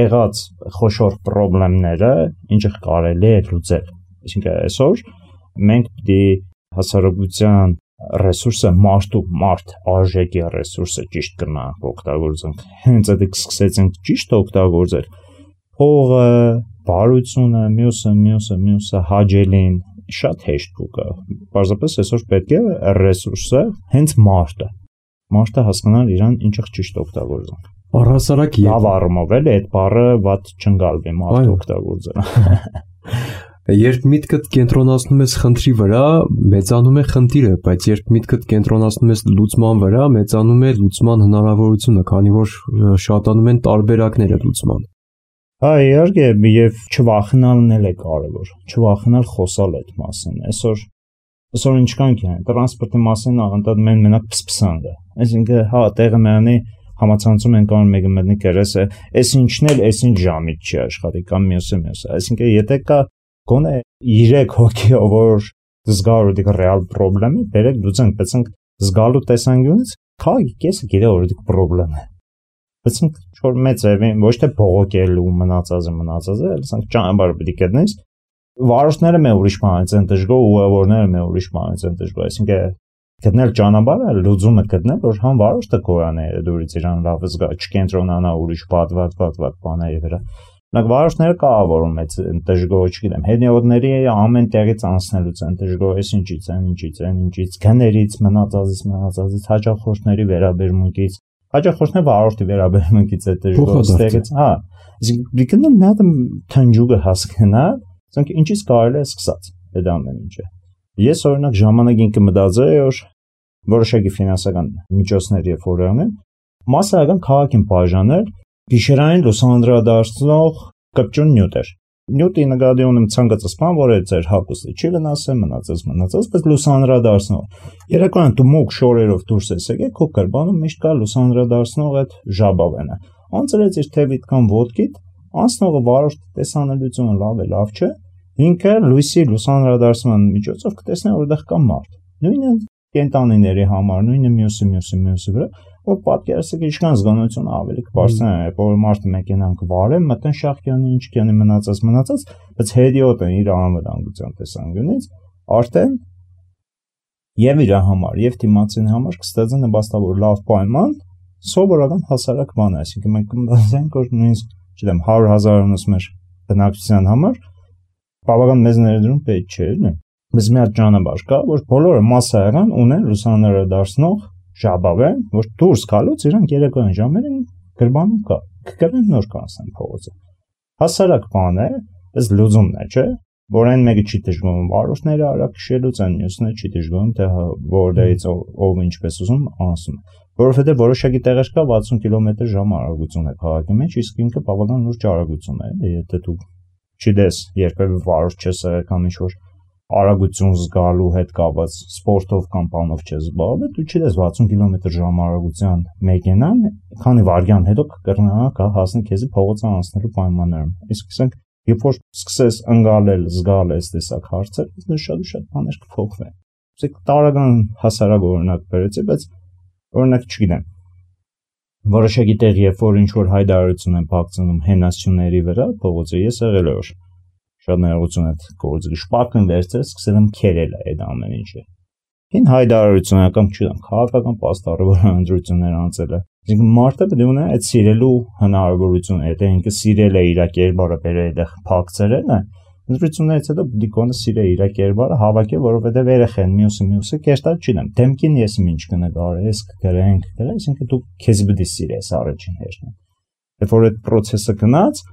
եղած խոշոր խնդիրները ինչը կարելի է լուծել։ Այսինքն այսօր մենք պետք է հասարակության ռեսուրսը մարդու մարդ արժեքի ռեսուրսը ճիշտ կնանք օգտագործենք։ Հենց այդ սկսեցինք ճիշտ օգտագործել։ Փողը, բարությունը, մյուսը, մյուսը, մյուսը հաջելին շատ հեշտ կա։ Պարզապես այսօր պետք է ռեսուրսը հենց մարդը։ մարդը հասկանալ իրան ինչը ճիշտ օգտագործել։ Առհասարակ լավ առումով էլի այդ բառը ված չընկալվի մարդ օգտագործել։ Երբ միտքդ կենտրոնացնում ես խնդրի վրա, մեծանում է խնդիրը, բայց երբ միտքդ կենտրոնացնում ես լուծման վրա, մեծանում է լուծման հնարավորությունը, քանի որ շատանում են տարբերակները լուծման։ Հա, իհարկե, եւ չվախենալն էլ է կարեւոր։ Չվախենալ խոսալ այդ մասին։ Այսօր այսօր ինչքան կան տրանսպորտի մասին աղանդատ մեն մենակ փսփսանք է։ Այսինքն, հա, տեղը մենի համացանցում են կան մեկը մտնի կերեսը, այս ինչն էլ, այս ինչ ժամից չի աշխատի կամ մյուսը մյուսը։ Այսինքն, եթե կա գոնե երեք հոգի, որ զգալու դիք ռեալ խնդրեմի, բերեք դուցենք, բացենք զգալու տեսանկյունից, քաղաքի կեսը գիտե որ դիք խնդրեմ է։ Բացենք որ մեծ է, ոչ թե բողոքելու մնացածը մնացածը, այլ ասենք ճանապարհը պետք է գտնես։ Վարորդները մե ուրիշ բանից են դժգոհ, ուղևորները մե ուրիշ բանից են դժգոհ, այսինքն գտնել ճանապարհը, լուծումը գտնել, որ համ վարորդը կորանե դուրից իրան լավ զգա, չկենտրոնանա ուրիշ բադ բադ բադ բադ բաների վրա։ Նակ վարորդները կավորում այդ դժգոհ, չգիտեմ, հետնյոթների ամեն տեղից անցնելուց են դժգոհ, այս ինչից են, ինչից են, ինչից, գներից, մնացածից, մնացածից, հաճախորդների վերաբերմունքից, հաճախորդների վարորդի վերաբերմունքից է դժգոհ, ստեղից, հա, իսկ դիքնը մի հատ թնջուկը հասկանալ, ասենք ինչից կարելի է սկսած այդ ամեն ինչը։ Ես օրինակ ժամանակին կմտածեի, որ որոշակի ֆինանսական միջոցներ եւ ֆորումներ մասսայական քաղաքին բաժանել գիշերային լուսանդրադարձնող կպչուն նյութեր։ Նյութի նկատի ունեմ ցանկացած բան, որ այդ ձեր հագուստը չի վնասել, մնացած մնացած, բայց լուսանդրադարձնող։ Երեկոյան դու մուկ շորերով դուրս ես եկել, քո կրբանում միշտ կա լուսանդրադարձնող այդ ժաբավենը։ Անցրեց իր թևիդ կամ ոտքիդ, անցնողը վարորդ տեսանելիությունը լավ է, լավ չէ։ Ինքը լույսի լուսանդրադարձման միջոցով կտեսնի որտեղ կա մարդ։ Նույնը կենտանիների համար, նույնը մյուսը մյուսը մյուսը վրա, որ պատկերացեք ինչքան զգոնությունը ավելի կբարձրանա, որ մարդը մեքենան կվարե, մտեն շախկյանի ինչ կյանի մնացած մնացած, բայց հետիոտը իր անվտանգության տեսանկյունից արդեն եւ իր համար, եւ դիմացին համար կստացի նպաստավոր լավ պայման, սովորական հասարակ բան է, այսինքն մենք կմտածենք, որ նույնիսկ, չգիտեմ, հարյուր հազարոնոց մեր բնակչության համար բավական մեծ ներդրում պետք չէ, նե։ Բայց մի հատ ճանապարհ կա, որ բոլորը մասսայական ունեն լուսաներադարձնող ժաբավեն, որ դուրս գալուց իրանք երեկոյան ժամերին գրբանում կա, կգրեն նոր կանցնեն փողոցը։ Հասարակ բան է, բայց լուծումն է, չէ՞, որ այն մեկը չի դժգոհում վարորդները արագ քշելուց, այն մյուսը չի դժգոհում, թե որտեղից ով ինչպես ուզում անցում, որովհետև որոշակի տեղեր կա վաթսուն կիլոմետր ժամ արագություն է քաղաքի մեջ, իսկ ինքը բավական լուրջ արագություն է, եթե դու չդես երբևէ վարորդ չես եղել կամ ինչ-որ արագություն զգալու հետ կապված սպորտով կամ բանով չես զբաղվել, դու չդես վաթսուն կիլոմետր ժամ արագության մեքենան, քանի վայրկյան հետո կկրնանա կա հասնի քեզի փողոցը անցնելու պայմաններում։ Իսկ ասենք, երբ որ սկսես ընկալել, զգալ այս տեսակ հարցեր, դու շատ ու շատ բաներ կփոխվեն։ Իսկ տարական հասարակ օրինակ բերեցի, բայց օրինակ չգիտեմ։ Որոշակի տեղ, երբ որ ինչ-որ հայտարարություն են փակցնում հենասյուների վրա, փողոցը ես եղել եմ շատ ներողություն այդ գործը շպակն վերցրել, սկսել եմ քերել այդ ամեն ինչը։ Հին հայտարարություն կամ չգիտեմ, քաղաքական պաստառավոր ընտրություններ անցել է։ Այսինքն մարդը պետք է ունենա այդ սիրելու հնարավորությունը, եթե ինքը սիրել է իր կերպարը բերել այդտեղ փակցրել է, ընտրություններից հետո դիկոնը սիրել իր կերպարը հավաքել, որովհետև երեխեն մյուսը մյուսը կերտալ չունեմ։ Դեմքին ես ինչ կնկարես, կգրենք, դրա, այսինքն դու քեզ պետք է սիրես առաջին հերթին։ Երբ որ այդ process-ը գնաց,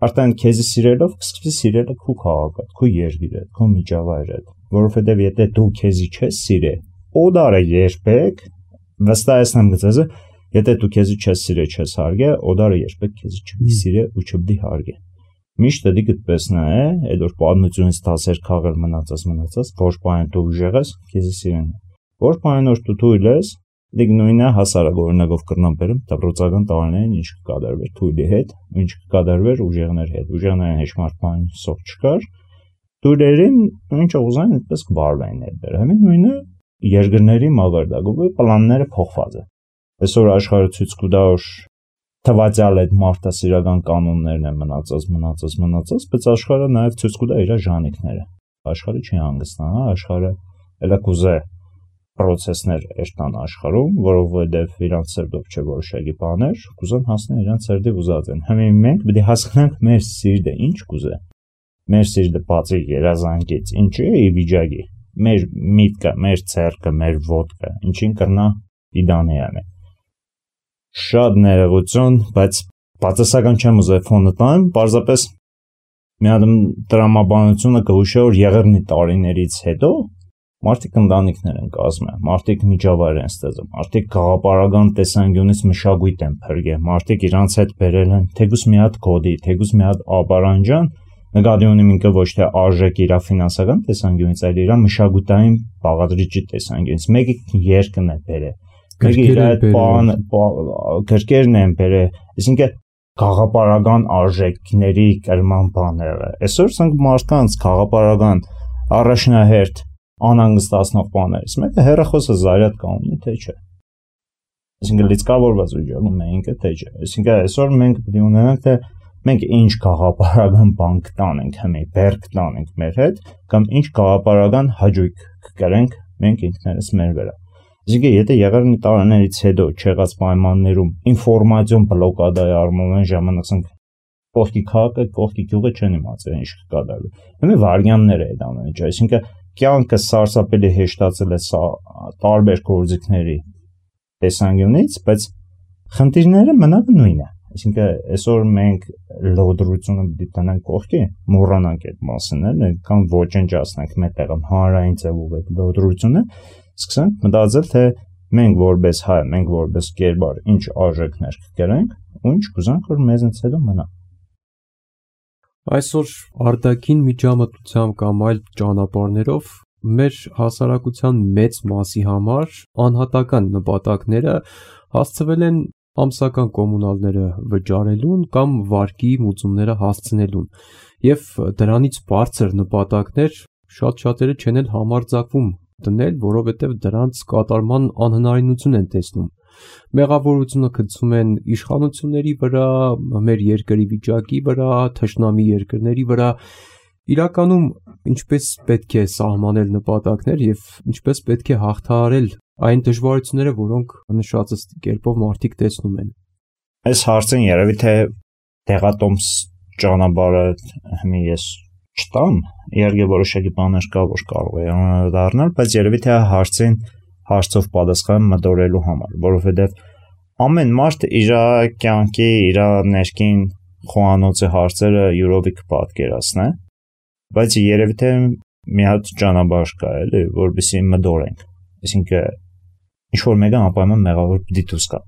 արդեն քեզի սիրելով կսկսի սիրելը քո քաղաքը, քո երկիրը, քո միջավայրը, որովհետև եթե դու քեզի չես սիրել, օդարը երբեք վստահեցնեմ գծեզը, եթե դու քեզի չես սիրել, չես հարգել, օդարը երբեք քեզի չպետք սիրել ու չպետք հարգել։ Միշտ դի գտպես նա է, այդ որ պատմությունից դասեր քաղել մնացած մնացած, ոչ բան դու ուժեղ ես, քեզի սիրեն։ Ոչ բան որ դու թույլ ես, դիք նույնը հասարակ օրինակով կրնամ բերեմ, դպրոցական տարիներին ինչ կկատարվեր թույլի հետ, ինչ կկատարվեր ուժեղների հետ։ Ուժեղներին հեշմարտ բան սող չկար։ Թույլերին ինչ ուզեն, այդպես կվարվեն այդտեղ։ Հəmin նույնը երկրների մագարտակով պլանները փոխված է։ Այսօր աշխարհը ցույց կտա, որ թվացյալ այդ մարդասիրական կանոններն են մնացած, մնացած, մնացած, բայց աշխարհը նաև ցույց կտա իր ժանիքները։ Աշխարհը չի հանգստանա, աշխարհը էլա կուզե process-ներ երթան աշխարհում, որովհետև իրանց սերտով չէ որոշակի բաներ, կուզեն հասնել իրանց սերտի ուզած են։ Հիմա մենք պետք է հասկանանք մեր սիրտը ինչ կուզե։ Մեր սիրտը բացի երազանքից ինչ է ի վիճակի։ Մեր միտքը, մեր ցերկը, մեր ոտքը, ինչին կրնա իդանեան է։ Շատ ներողություն, բայց բացասական չեմ ուզել ֆոնը տամ, պարզապես մի հատ տրամաբանությունը կհուշե, որ եղեռնի տարիներից հետո մարդիկ ընտանիքներ են կազմել, մարդիկ միջավայր են ստեղծում, մարդիկ գաղափարական տեսանկյունից մշակույթ են փրկել, մարդիկ իրանց հետ բերել են թեկուզ մի հատ կոդի, թեկուզ մի հատ ապարանջան, նկատի ունեմ ինքը ոչ թե արժեք իր ֆինանսական տեսանկյունից, այլ իր մշակութային բաղադրիչի տեսանկյունից, մեկը երկն է բերել, մեկը իր այդ բան գրքերն են բերել, այսինքն գաղափարական արժեքների կրման բաները։ Այսօր ցանկ մարդկանց գաղափարական առաջնահերթ անհանգստացնող բաներից մեկը հեռախոսը զարյատ կողմնի թե չէ։ Այսինքն լիցքավորված ուժում է ինքը թե չէ։ Այսինքն այսօր մենք պետք է ունենանք թե մենք ինչ գաղափարական բան կտանենք հիմա, բեր կտանենք մեր հետ, կամ ինչ գաղափարական հաջույք կկրենք մենք ինքներս մեր վրա։ Այսինքն եթե եղեռնի տարիներից հետո չեղած պայմաններում ինֆորմացիոն բլոկադայի առումով այն ժամանակ ասենք կողքի քաղաքը, կողքի գյուղը չեն իմացել ինչ կկատարվի։ Հիմա վարյաններ է այդ ամենը, այսինքն կյանքը սարսափելի հեշտացել է տարբեր գործիքների տեսանկյունից, բայց խնդիրները մնաք նույնն է։ Այսինքն այսօր մենք լոդրությունը պիտի տնենք կողքի, մոռանանք այդ մասը, կամ ոչնչացնենք մետաղ հանրային ձևով այդ լոդրությունը, սկսենք մտածել, թե մենք որպես հայ, մենք որպես կերպար ինչ արժեքներ կկրենք, ու ինչ կուզենք, որ մեզնից հետո մնա։ Այսօր արտաքին միջամտությամբ կամ այլ ճանապարհներով մեր հասարակության մեծ մասի համար անհատական նպատակները հասցվել են ամսական կոմունալները վճարելուն կամ վարկի մուծումները հասցնելուն, եւ դրանից բարձր նպատակներ շատ շատերը չեն էլ համարձակվում դնել, որովհետև դրանց կատարման անհնարինություն են տեսնում։ Մեղավորությունը գցում են իշխանությունների վրա, մեր երկրի վիճակի վրա, թշնամի երկրների վրա։ Իրականում ինչպես պետք է սահմանել նպատակներ եւ ինչպես պետք է հաղթահարել այն դժվարությունները, որոնք նշածս կերպով մարդիկ տեսնում են։ Այս հարցին երևի թե տեղատոմս ճանապարհը հիմա ես չտամ, իհարկե որոշակի բաներ կա, որ կարող է դառնալ, բայց երևի թե հարցին հարցով պատասխան մտորելու համար, որովհետև ամեն մարդ իր կյանքի, իր ներքին խոհանոցի հարցերը յուրովի կպատկերացնի, բայց երևի թե մի հատ ճանապարհ կա, էլի, որովհետեւ մտորենք, այսինքն ինչ որ մեկը անպայման մեղավոր պիտի դուրս գա։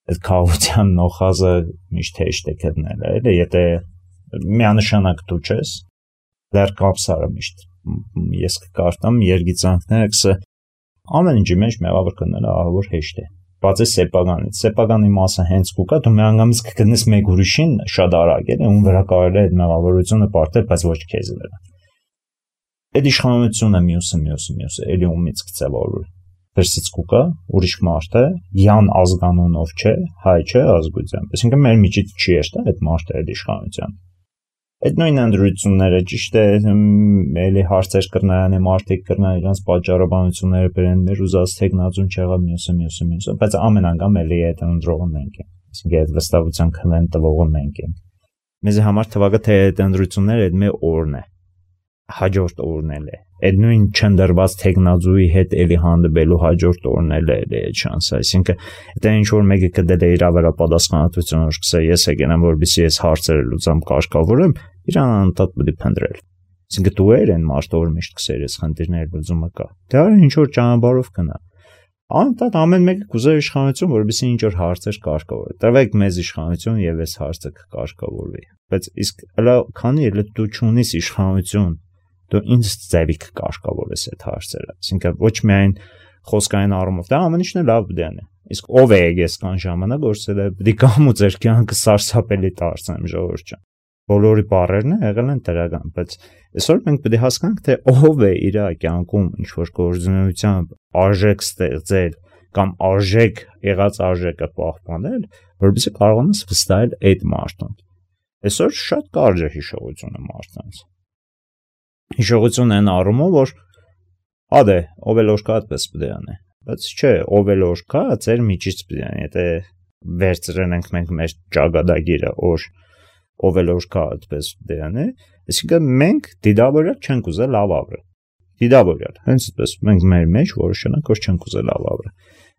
Այդ քաոտյան նոխազը միշտ հեշտ է գտնել, էլի, եթե միանշանակ դու չես, դեռ կապսարը միշտ ես կկարտամ երգիծանքները կսը ամեն ինչի մեջ մեղավոր գտնելը ահավոր հեշտ է, բացի սեփականից, սեփականի մասը հենց կուկա, դու միանգամից կգտնես մեկ ուրիշին շատ արագ է, ում վրա կարելի է այդ մեղավորությունը պարտել, բայց ոչ քեզ վրա։ Այդ իշխանությունը մյուսը, մյուսը, մյուսը, էլի ումից կծավալվի։ Դրսից կուկա, ուրիշ մարդ է, յան ազգանունով չէ, հայ չէ ազգությամբ, այսինքն մեր միջից չի էստա այդ մարդը այդ իշխանության։ Այդ նույն ընդրությունները ճիշտ է, էլի հարցեր կրնայան է, մարդիկ կրնան իրանց պատճառաբանությունները բերեն, մեր ուզած թեկնածուն չեղավ մյուսը, մյուսը, մյուսը, բայց ամեն անգամ էլի այդ ընդրողը մենք ենք, այսինքն այդ վստահության քվեն տվողը մենք ենք։ Մեզ համար թվակը թե այդ ընդրությունները այդ մեր օրն է, հաջորդ օրն էլ է, այդ նույն չնդրված թեկնածուի հետ էլի հանդիպելու հաջորդ օրն էլ է այդ շանսը, այսինքն դա ինչ որ մեկը կդել է իր վրա պատասխանատվությունը, սկսե ես եկենամ, որպեսզի ես հարցերը լուծամ, կարգավորեմ, իրան անընդհատ պետք է փնտրել։ Այսինքն դու ես այն մարդը, որ միշտ կսեր ես խնդիրների լուծումը կա։ Դա ինչ որ ճանապարհով կնա։ Անընդհատ ամեն մեկը կուզե իշխանություն, որպեսզի ինչ որ հարցեր կարգավորի։ Տվեք մեզ իշխանություն եւ այս հարցը կկարգավորվի։ Բայց իսկ հələ քանի էլ դու չունես իշխանություն, դու ինձ ձևի կկարգավորես այդ հարցերը։ Այսինքն ոչ միայն խոսքային առումով, դա ամեն ինչն է լավ բդան է։ Իսկ ով է եկես կան ժամանակ գործել է, պետք է կամ ու ձեր կյանքը սարսափելի դարձնեմ ժողովուրդ ջան։ Բոլորի բառերն եղել են դրական, բայց այսօր մենք պետք է հասկանանք, թե ով է իր կյանքում ինչ որ գործունեությամբ արժեք ստեղծել կամ արժեք եղած արժեքը պահպանել, որովհետեւ կարողանաս վստահել այդ մարդուն։ Այսօր շատ կարճ է հիշողությունը մարդկանց։ Հիշողություն են առումով, որ ադե ով էլ որ կա այդպես պետք է անի, բայց չէ, ով էլ որ կա, ձեր միջից պետք է անի, եթե վերցրենք մենք մեր ճակատագիրը, որ ով էլ որ կա այդպես պետք է անի, այսինքն մենք դիդավորյալ չենք ուզել լավ ապրել։ Դիդավորյալ, հենց այդպես մենք մեր մեջ որոշենք, որ չենք ուզել լավ ապրել։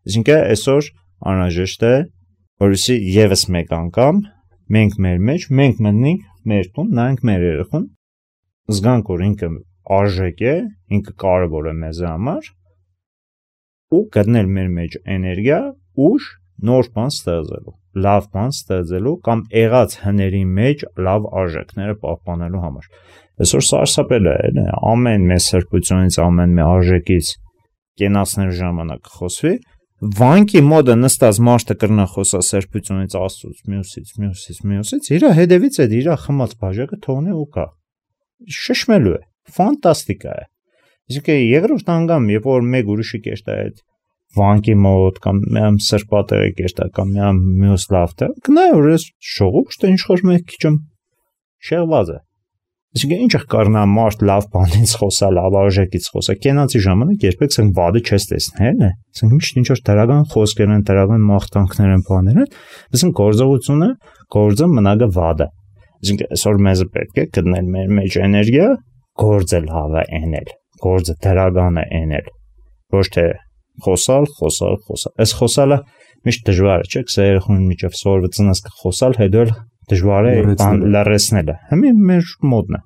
Այսինքն այսօր անհրաժեշտ է որպեսզի եւս մեկ անգամ մենք մեր մեջ մենք մտնենք մեր տուն, նայենք մեր երեխուն, զգանք որ ինքը արժեք է, ինքը կարևոր է մեզ համար ու գտնել մեր մեջ էներգիա, ուժ նոր բան ստեղծելու, լավ բան ստեղծելու կամ եղած հների մեջ լավ արժեքները պահպանելու համար։ Այսօր սարսափել է, ամեն մեր սրբությունից, ամեն մեր արժեքից կենացնելու ժամանակ խոսվի, վանկի մոդը նստած մարդը կրնա խոսա սրբությունից, Աստծուց, մյուսից, մյուսից, մյուսից, իր հետևից այդ իր խմած բաժակը թողնի ու կա։ Շշմելու է, ֆանտաստիկա է։ Իսկ երկրորդ անգամ, երբ որ մեկ ուրիշի կեշտա այդ վանկի մոտ կամ միամ սրբատեղի կեշտա կամ միամ մյուս լավ տեղ, գնայ որ ես շողուկշտը ինչ որ մեկ քիչ շեղված է։ Իսկ ինչ կառնա մարդ լավ բանից խոսա, լավ արժեքից խոսա, կենացի ժամանակ երբեք ասենք վադը չես տեսնել, է։ Ասենք միշտ ինչ որ դրական խոսքեր են, դրական մաղթանքներ են, բաներ են, ասենք գործողությունը, գործը մնագը վադը։ Իսկ այսօր մեզ պետք է գտնել մեր մեջ էներգիա, գործը լավ է էնել, գործը դրական է էնել։ Ոչ թե խոսալ, խոսալ, խոսալ։ Այս խոսալը միշտ դժվար է, չէ՞, սա երախուն միջև սորվծնած կխոսալ, հետո էլ դժվար է բան լարեցնելը։ Հիմա մեր մոդն է։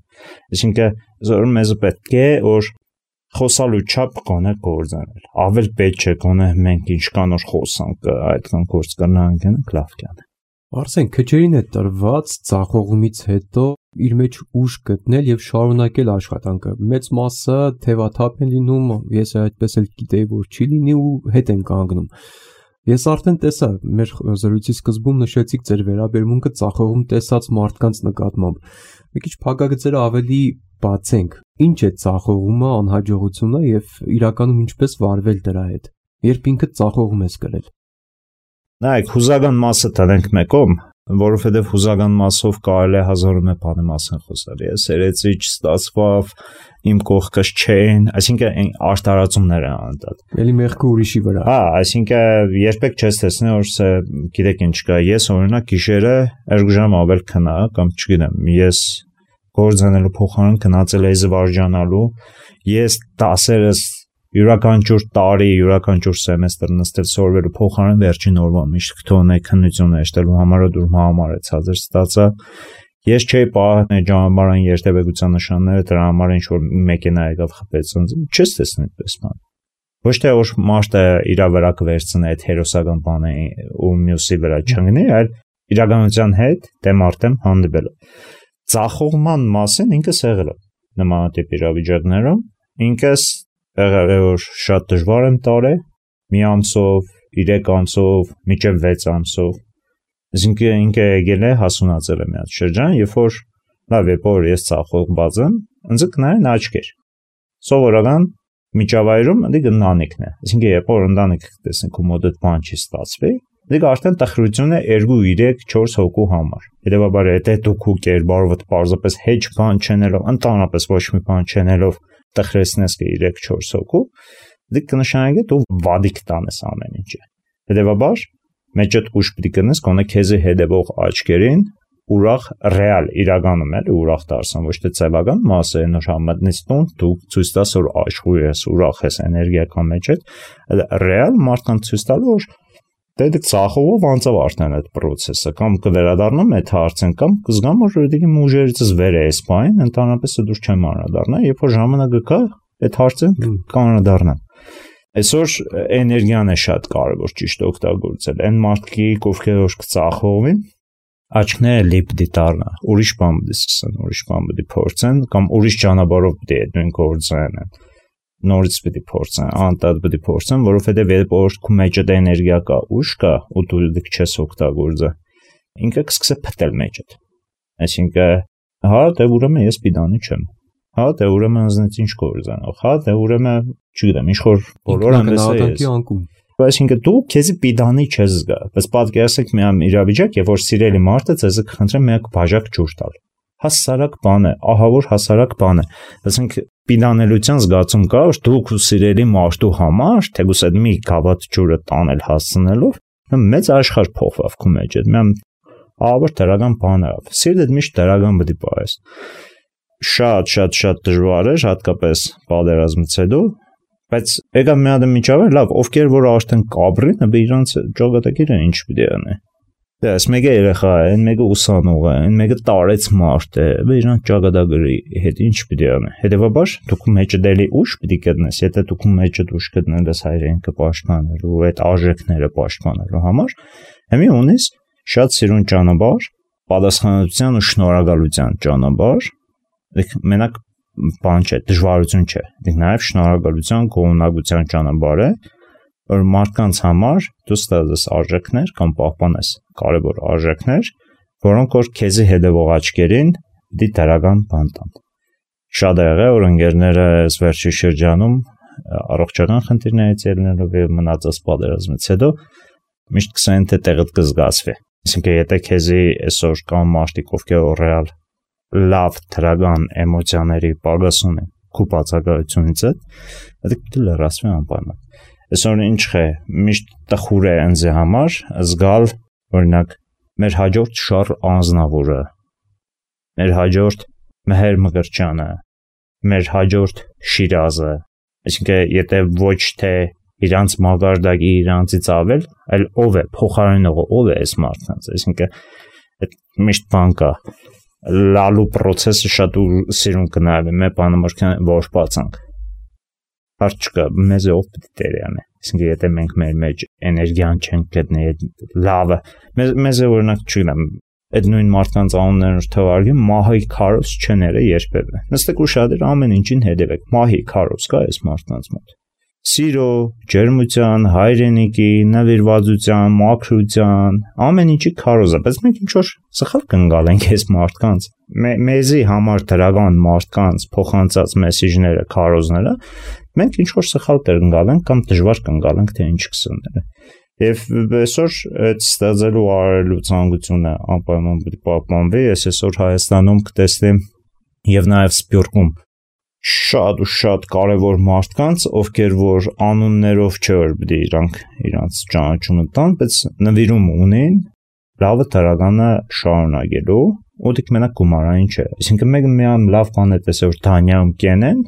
Այսինքն զոր մեզ պետք է որ խոսալու չափ կոնե գործանել։ Ավել պետք չէ կոնե մենք ինչքան որ խոսանք, այդքան գործ կնանք, լավ կան։ Արսեն, քչերին է տրված ցախողումից հետո իր մեջ ուժ գտնել եւ շարունակել աշխատանքը։ Մեծ մասը թևաթափ են լինում, ես այդպես էլ գիտեի, որ չի լինի ու հետ են կանգնում։ Ես արդեն տեսա, մեր զրույցի սկզբում նշեցիք ձեր վերաբերմունքը ցախողում տեսած մարդկանց նկատմամբ։ Մի քիչ փակագծերը ավելի բացենք։ Ինչ է ցախողումը, անհաջողությունը եւ իրականում ինչպես վարվել դրա հետ։ Երբ ինքը ցախողում ես կրել։ Նայեք, հուզական մասը տանենք մեկում, որովհետև հուզական մասով կարելի է հազարում է բանի մասին խոսալ։ Ես երեցի չստացվավ, իմ կողքս չեն, այսինքն արտարացումներ են անդադ։ Էլի մեղքը ուրիշի վրա։ Հա, այսինքն երբեք չես տեսնի, որ սա գիտեք ինչ կա։ Ես օրինակ գիշերը երկու ժամ ավել քնա կամ չգիտեմ, ես գործանելու փոխարեն քնացել էի զվարճանալու, ես դասերս յուրաքանչյուր տարի, յուրաքանչյուր սեմեստր նստել սորվելու փոխարեն վերջին օրվա միշտ քթոնե քննությունը հեշտելու համար դուր համար է ցածր ստացա։ Ես չէի պահել ճանապարհային երթևեկության նշանները, դրա համար ինչ որ մեքենա եկավ խփեց ինձ, չես տեսնի այդպես բան։ Ոչ թե որ մարդը իր վրա կվերցնի այդ հերոսական բանը ու մյուսի վրա չընկնի, այլ իրականության հետ դեմ արդեմ հանդիպել։ Ցախողման մասին ինքս եղել եմ նմանատիպ իրավիճակներում, ինքս եղել է որ շատ դժվար եմ տարել, մի ամսով, երեք ամսով, մինչև վեց ամսով։ Այսինքն ինքը եկել է հասունացել է մի հատ շրջան, երբ որ լավ է, որ ես ցախողված եմ, ինձ կնային աչքեր։ Սովորական միջավայրում դի գնանիկն է։ Այսինքն երբ որ ընտանիք տեսնենք ու մոդդ բան չի ստացվի, դի արդեն տխրություն է երկու, երեք, չորս հոգու համար։ Հետևաբար եթե դուք ու կերպարովդ պարզապես հեչ բան չենելով, ընդհանրապես ոչ մի բան չենելով տխրեցնես կը երեք չորս հոգու, դի կնշանակի դու վադիկ տանես ամեն ինչը։ Հետևաբար մեջդ ուշ պիտի կնես կոնե քեզի հետևող աչքերին ուրախ ռեալ իրականում էլ ուրախ դարձան, ոչ թե ցավական մասը նոր համատնից տուն դու ցույց տաս որ աշխույր ես, ուրախ ես, էներգիա կա մեջդ, ռեալ մարդկանց ցույց տալու որ դե դե ցախողով անցավ արդեն այդ process-ը կամ կվերադառնամ այդ հարցեն կամ կզգամ որ դեպի ուժերիցս վեր է սպայն, ընդհանրապես դուր չեմ անդառնա, երբ որ ժամանակը կա, այդ հարցեն կանադառնամ։ Այսօր էներգիան է շատ կարևոր ճիշտ օգտագործել։ Այն մարդիկ, ովքեր որ կցախողվին, աչքները լի պիտի դառնա, ուրիշ բան պիտի սկսեն, ուրիշ բան պիտի փորձեն կամ ուրիշ ճանապարհով պիտի այդ նույն գործեն։ Նորից պիտի փորձեն, անդադ պիտի փորձեն, որովհետև երբ որ քո մեջ այդ էներգիա կա, ուժ կա, ու դու դիք չես օգտագործը, ինքը կսկսե փտել մեջդ։ Այսինքն, հա, դե ուրեմն ես պիտանի չեմ։ Հա, դե ուրեմն ինձնից ինչ գործանող, հա, դե ուրեմն, չգիտեմ, ինչ որ բոլոր այնպես է։ Այսինքն դու քեզի պիտանի չես զգա, բայց պատկերացեք մի իրավիճակ, երբ որ սիրելի մարդը ձեզ կխնդրի մեկ բաժակ ջուր տալ։ Հասարակ բան է, ահավոր հասարակ բան է։ Ասենք պիտանելության զգացում կա, որ դու քո սիրելի մարդու համար, թեկուզ այդ մի գավաթ ջուրը տանել հասցնելով, մեծ աշխարհ փոխվավ քո մեջ, այդ մի ահավոր դրական բան է։ Սիրտդ միշտ դրական պիտի պահես։ Շատ շատ շատ դժվար է, հատկապես պատերազմից հետո, Բայց եկա մի հատ միջավայր, լավ, ովքեր որ արդեն կաբրին, բե իրանց ճակատագիրը ինչ պիտի անի։ Դες մեկը երեխա է, այն մեկը ուսանող է, այն մեկը տարեց մարդ է, բե իրանց ճակատագրի հետ ինչ պիտի անի։ Հետևաբար դուք մեջը դելի ուշ պիտի գտնես, եթե դուք մեջը ուշ գտնես հայրենիքը պաշտպանելու, այդ արժեքները պաշտպանելու համար, հիմի ունես շատ սիրուն ճանապարհ, պատասխանատվության ու շնորհակալության ճանապարհ, մենակ բան չէ, դժվարություն չէ, դեռ նաև շնորհակալության, գոհունակության ճանապարհ է, որ մարդկանց համար դու ստացես արժեքներ կամ պահպանես կարևոր արժեքներ, որոնք որ քեզի հետևող աչքերին դի դրական բան տան։ Շատ է եղել, որ ընկերները այս վերջի շրջանում առողջական խնդիրներից ելնելով եւ մնացած պատերազմից հետո միշտ կսեն թե տեղդ կզգացվի։ Այսինքն եթե քեզի այսօր կան մարդիկ, ովքեր ռեալ լավ դրական էմոցիաների պակաս ունեն քու բացակայությունից հետ, դա դու լրացվի անպայման։ Այսօր ինչ է, միշտ տխուր է ինձ համար զգալ, օրինակ, մեր հաջորդ շար անձնավորը, մեր հաջորդ Մեհեր Մկրտչյանը, մեր հաջորդ Շիրազը, այսինքն եթե ոչ թե իրանց մագարտակի իրանցից ավել, այլ ով է, փոխարինողը ով է այս մարդկանց, այսինքն այդ միշտ բան կա, լալու process-ը շատ սիրուն կնայվի, մեր բանը որ բացանք, հարց չկա, մեզ ով պիտի տերի անի, այսինքն եթե մենք մեր մեջ էներգիան չենք գտնի, լավը, մեզ է օրինակ չգնամ, այդ նույն մարդկանց անուններն թվարկի Մահի Քարոս չները երբևէ, նստեք ուշադիր ամեն ինչին հետևեք, Մահի Քարոս կա այս մարդկանց մոտ, սիրո, ջերմության, հայրենիքի, նվիրվածության, մաքրության, ամեն ինչի քարոզը, բայց մենք ինչ-որ սխալ կընկալենք այս մարդկանց, մեզի համար դրական մարդկանց փոխանցած մեսիջները, քարոզները, մենք ինչ-որ սխալ կընկալենք կամ դժվար կընկալենք, թե ինչ կսները։ Եվ այսօր այդ ստեղծելու արելու ցանկությունը անպայման պետք է պահպանվի, ես այսօր Հայաստանում կտեսնեմ եւ նաեւ Սփյուռքում շատ ու շատ կարևոր մարդկանց, ովքեր որ անուններով չէ որ պիտի իրանք իրանց ճանաչումը տան, բայց նվիրում ունեն լավը դրականը շարունակելու, ու դիք մենակ գումարային չէ։ Այսինքն մեկը միայն լավ բան է տեսել որ Դանիայում կենեն,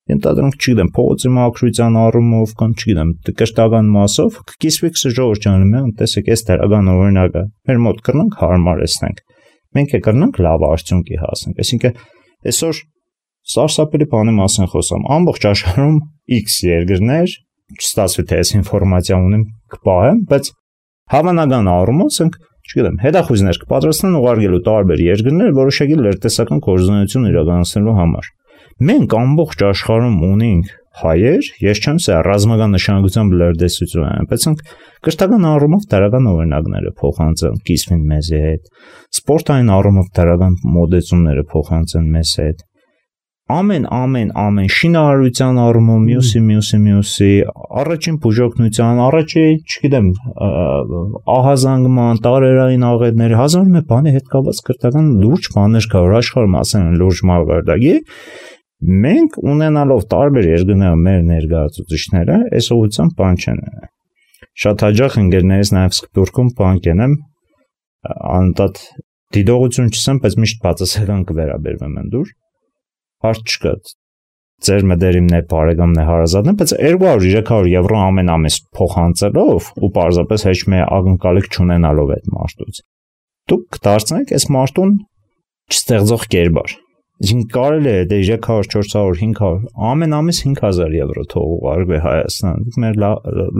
ենթադրենք չգիտեմ փողոցի մաքրության առումով կամ չգիտեմ կշտական մասով կիսվի ժողովրդյանը միան տեսեք այս դրական օրինակը մեր մոտ կրնանք հարմարեցնենք մենք է կրնանք լավ արդյունքի հասնենք այսինքն այսօր սարսափելի բանի մասին խոսամ ամբողջ աշխարհում X երկրներ չստացվի թե այս ինֆորմացիա ունեմ կպահեմ բայց հավանական առումով ասենք չգիտեմ հետախույզներ կպատրաստեն ուղարկելու տարբեր երկրներ որոշակի լրտեսական կորզունություն իրականացնելու համար մենք ամբողջ աշխարհում ունենք հայեր, ես չեմ ասա ռազմական նշանակությամբ լրտեսություն են, բայց կրթական առումով դրական օրինակները փոխանցեն կիսվին մեզ հետ, սպորտային առումով դրական մոդեցումները փոխանցեն մեզ հետ, ամեն ամեն ամեն շինարարության առումով մյուսի մյուսի մյուսի, առաջին բուժօգնության, առաջի, չգիտեմ, ահազանգման, տարերային աղետների, հազար մի բանի հետ կապված կրթական լուրջ բաներ կա, որ աշխարհում ասեն լուրջ մակարդակի Մենք ունենալով տարբեր երկրներում մեր ներկայացուցիչները այս ուղղությամբ բան չեն անում։ Շատ հաճախ ընկերներից նաև Սփյուռքում բան կենեմ, անընդհատ դիտողություն չսեմ, բայց միշտ բացասական կվերաբերվեմ ընդուր։ Հարց չկա։ Ձեր մտերիմն է, բարեկամն է, հարազատն է, բայց երկու հարյուր երեք հարյուր եվրո ամեն ամիս փոխանցելով ու պարզապես հեչ մի ակնկալիք չունենալով այդ մարդուց։ Դուք կդարձնեք այս մարդուն չստեղծող կերպար։ Ինչ կարելի է դե երեք հարյուր, չորս հարյուր, հինգ հարյուր, ամեն ամիս հինգ հազար եվրո թող ուղարկվի Հայաստան։ Մեր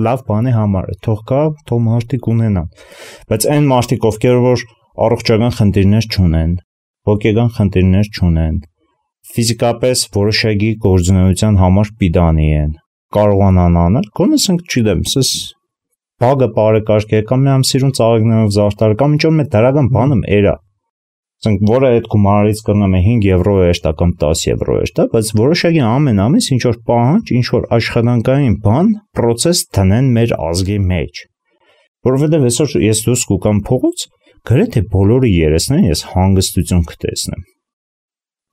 լավ բանի համար է, թող կա, թող մարդիկ ունենան։ Բայց այն մարդիկ, ովքեր որ առողջական խնդիրներ չունեն, հոգեկան խնդիրներ չունեն, ֆիզիկապես որոշակի գործունեության համար պիտանի են, կարողանան անել, գոնե ասենք չգիտեմ, սս բագը բարեկարգ է կամ մի ամսիրուն ծաղիկներով զարդար կամ ինչ-որ մի դրական բանը էրա Ասենք, որը այդ գումարից կրնում է հինգ եվրո է շտա կամ տասը եվրո է շտա, բայց որոշակի ամեն ամիս ինչ-որ պահանջ, ինչ-որ աշխատանքային բան, process տնեն մեր ազգի մեջ։ Որովհետև այսօր ես դուրս կուկամ փողոց, գրեթե բոլորի երեսներին ես հանգստություն կտեսնեմ։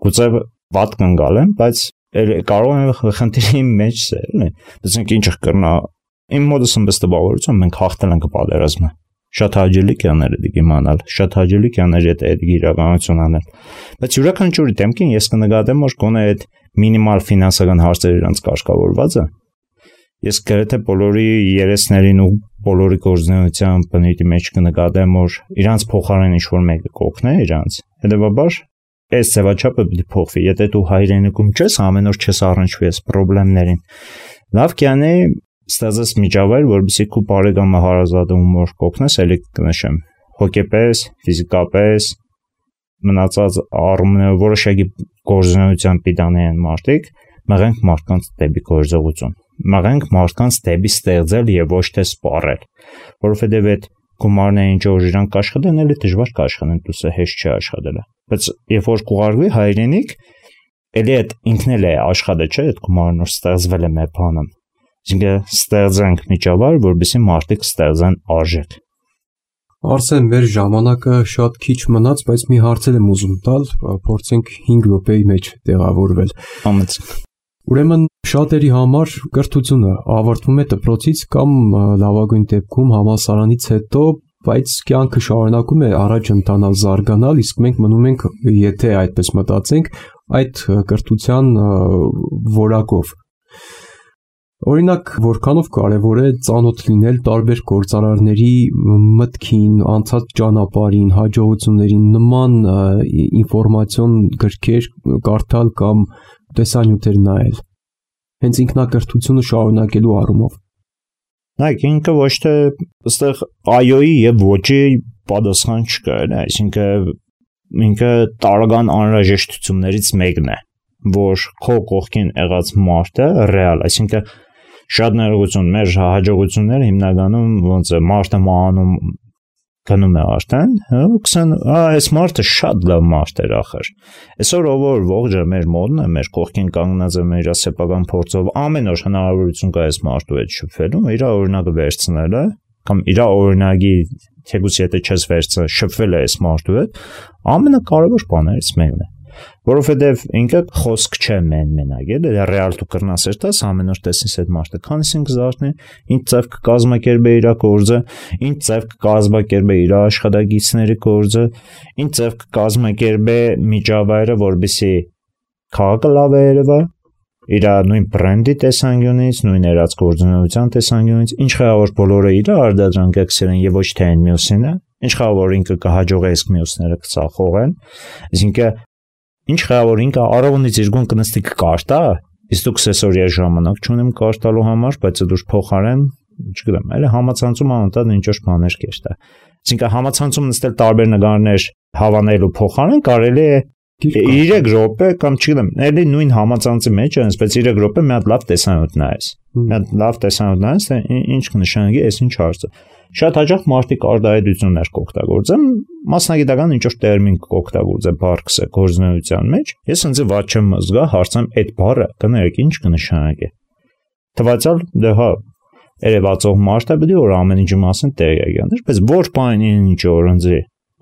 Գուցե վատ կընկալեմ, բայց կարող եմ խնդիրի մեջ սել, բայց ինչ կրնա, իմ մոտս ըմբս տպավորություն մենք հաղթել ենք պատերազմը։ Շատ հաճելի կյաներ է դիգ իմանալ, շատ հաճելի կյաներ է այդ իրականություն անել։ Բայց յուրաքանչյուրի դեմքին ես կնկատեմ, որ գոնե այդ մինիմալ ֆինանսական հարցերը իրանց կարգավորված է։ ես գրեթե բոլորի երեսներին ու բոլորի գործունեության բնույթի մեջ կնկատեմ, որ իրանց փոխարեն ինչ-որ մեկը կօգնի իրանց, հետևաբար այս ձևաչափը պետք է փոխվի, եթե դու հայրենիքում չես, ամեն օր չես առնչվի այս խնդիրներին, լավ կյանի ստեղծես միջավայր, որովհետեւ քո բարեկամը հարազատում որ կօգնես, ելի կնշեմ, հոգեպես, ֆիզիկապես, մնացած առումներով որոշակի գործունեության պիտանի են մարդիկ, մղենք մարդկանց դեպի գործողություն, մղենք մարդկանց դեպի ստեղծել եւ ոչ թե սպառել, որովհետեւ այդ գումարները ինչ որ իրանք աշխատեն, էլի դժվար կաշխատեն, դուսը հեշտ չի աշխատելը, բայց երբ որ կուղարկվի հայրենիք, էլի այդ ինքն էլ է աշխատը, չէ՞, այդ գումարն որ ստեղծվել է մեր բանում, այսինքն ստեղծենք միջավայր, որովհետեւ մարդիկ ստեղծեն արժեք։ Արսեն, մեր ժամանակը շատ քիչ մնաց, բայց մի հարց եմ ուզում տալ, փորձենք հինգ րոպեի մեջ տեղավորվել։ Համեցեք։ Ուրեմն շատերի համար կրթությունը ավարտվում է դպրոցից կամ լավագույն դեպքում համալսարանից հետո, բայց կյանքը շարունակում է առաջ ընթանալ, զարգանալ, իսկ մենք մնում ենք, եթե այդպես մտածենք, այդ կրթության որակով։ Օրինակ, որքանով կարևոր է ծանոթ լինել տարբեր գործարարների մտքին, անցած ճանապարհին, հաջողություններին, նման ինֆորմացիոն գրքեր կարդալ կամ տեսանյութեր նայել։ Հենց ինքնակրթությունը շարունակելու առումով։ Նայեք, ինքը ոչ թե այստեղ այոյի եւ ոչի պատասխան չկա, այսինքն ինքը տարական անհրաժեշտություններից մեկն է, որ քո կողքին եղած մարդը ռեալ, այսինքն շատ ներողություն, մեր հաջողությունները հիմնականում ոնց է մարդը մահանում գնում է արդեն, ու կսեն, «Ա, այս մարդը շատ լավ մարդ էր ախր»։ Այսօր ով որ ողջը մեր մոդն է, մեր կողքին կանգնած է մեր սեփական փորձով, ամեն օր հնարավորություն կա այս մարդու հետ շփվելու, իր օրինակը վերցնելը, կամ իր օրինակի թեկուզ եթե չես վերցնել, շփվել է այս մարդու հետ, ամենակարևոր բաներից մեկն է։ Որովհետև ինքը խոսք չէ մեն մենակ, էլի ռեալ դու կրնաս երթաս ամեն օր տեսնես այդ մարդը, քանիսին կզարթնի, ինչ ձև կկազմակերպի իր գործը, ինչ ձև կկազմակերպի իր աշխատակիցների գործը, ինչ ձև կկազմակերպի միջավայրը, որովհետեւ քաղաքը լավ է երևա, իր նույն բրենդի տեսանկյունից, նույն երած գործունեության տեսանկյունից, ինչ խաղավոր բոլորը իր արդյունք կսերեն եւ ոչ թե այն մյուսինը, ինչ խաղավոր ինքը կհաջողի իսկ մյուսները կծախողեն, այսինքն ինչ խաղավոր ինքը առողնից իր գուն կնստի կկարտա, իսկ դուք սեսորիա ժամանակ չունեմ կարտալու համար, բայց դուք փոխարեն, չգիտեմ, այլ համացանցում անընդհատ ինչ-որ բաներ կերտա։ Այսինքն համացանցում նստել տարբեր նկարներ հավանելու փոխարեն կարելի է երեք րոպե կամ չգիտեմ, էլի նույն համացանցի մեջ է, այսպես երեք րոպե մի հատ լավ տեսանյութ նայես։ Մի հատ լավ տեսանյութ նայես, թե ինչ կնշանակի, այս ինչ հարցը։ Շատ հաճախ մարդիկ արտահայտություններ կօգտագործեն, մասնագիտական ինչ-որ տերմին կօգտագործեն բարգսը գործունեության մեջ։ Ես ինձ ված չեմ զգա հարցեմ այդ բառը կներեք ինչ կնշանակի։ Թվացial դե հա երևացող մարդը պետք է որ ամեն ինչի մասին տեղյակ լիներ, բայց ոչ բանի ինչ որ ինձ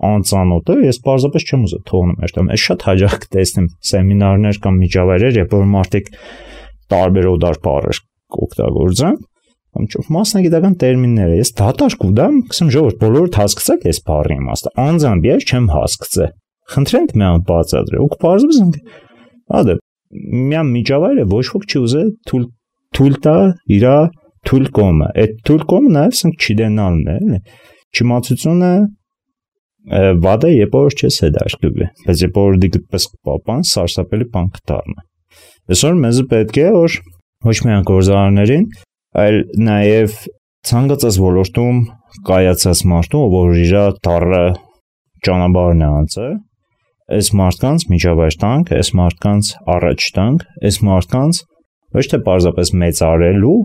անծանոթ է, ես պարզապես չեմ ուզում թողնում այդտեղ։ Ես շատ հաճախ կտեսնեմ սեմինարներ կամ միջավայրեր, երբ որ մարդիկ տարբեր օդար բառեր կօգտագործեն, կամ ինչ մասնագիտական տերմինները, ես դատարկ ուդամ, կսեմ ժողովուրդ բոլորդ հասկացեք այս բառի իմաստը, անձամբ ես չեմ հասկացել։ Խնդրենք մի ան բացատրել, ու կպարզվի զանգ։ Ադե, մի ան միջավայր է, ոչ ոք չի ուզել թույլ թույլ տա իր թույլ կոմը։ Այդ թույլ կոմը նաև ասենք չդենալն է, էլի։ Չիմացությունը վադը երբ որ չես հետաշկվի, բայց երբ որ դիգտպես կպապան, սարսափելի բան կդառնա։ Այսօր մեզ պետք է որ ոչ միայն գործարարներին, այլ նաև ցանկացած ոլորտում կայացած մարդու, որ իր դառը ճանապարհն է անցել, այս մարդկանց միջավայր տանք, այս մարդկանց առաջ տանք, այս մարդկանց ոչ թե պարզապես մեծարելու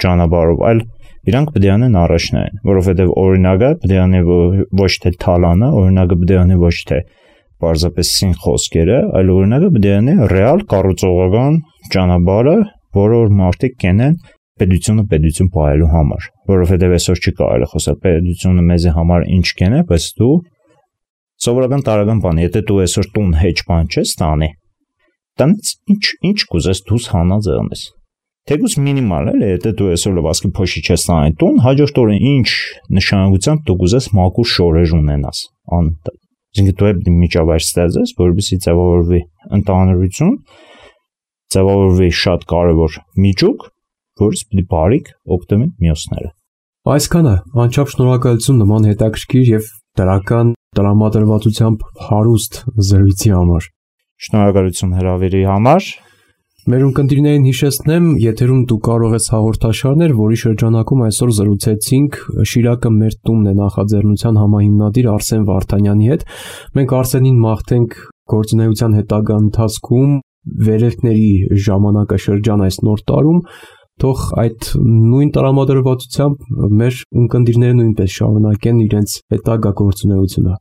ճանապարհով, այլ իրանք պետք է անեն առաջնային, որովհետև օրինակը պետք է անի ոչ թե թալանը, օրինակը պետք է անի ոչ թե պարզապես սին խոսքերը, այլ օրինակը պետք է անի ռեալ կառուցողական ճանապարհը, որը որ մարդիկ կենեն պետությունը պետություն պահելու համար, որովհետև այսօր չի կարելի խոսել պետությունը մեզի համար ինչ կենե, բայց դու սովորական տարական բան, եթե դու այսօր տուն հեչ բան չես տանի, տնից ինչ ինչ կուզես դուս հանած եղնես։ Թեկուզ մինիմալ է, եթե դու այսօր լվասկի փոշի չես տանի տուն, հաջորդ օրը ինչ նշանակությամբ դու կուզես մաքուր շորեր ունենաս, անընդհատ։ Այսինքն դու պետք է միջավայր ստեղծես, որովհետեւ ձևավորվի ընտանրություն, ձևավորվի շատ կարևոր միջուկ, որից պիտի բարիք օգտվեն մյուսները։ Այսքանը անչափ շնորհակալություն նման հետաքրքիր եւ դրական տրամադրվածությամբ հարուստ զրույցի համար։ Շնորհակալություն հրավերի համար։ Մեր ունկնդիրներին հիշեցնեմ, եթերում դու կարող ես հաղորդաշարներ, որի շրջանակում այսօր զրուցեցինք Շիրակը մեր տունն է նախաձեռնության համահիմնադիր Արսեն Վարդանյանի հետ։ Մենք Արսենին մաղթենք գործունեության հետագա ընթացքում վերելքների ժամանակաշրջան այս նոր տարում, թող այդ նույն տրամադրվածությամբ մեր ունկնդիրները նույնպես շարունակեն իրենց հետագա գործունեությունը։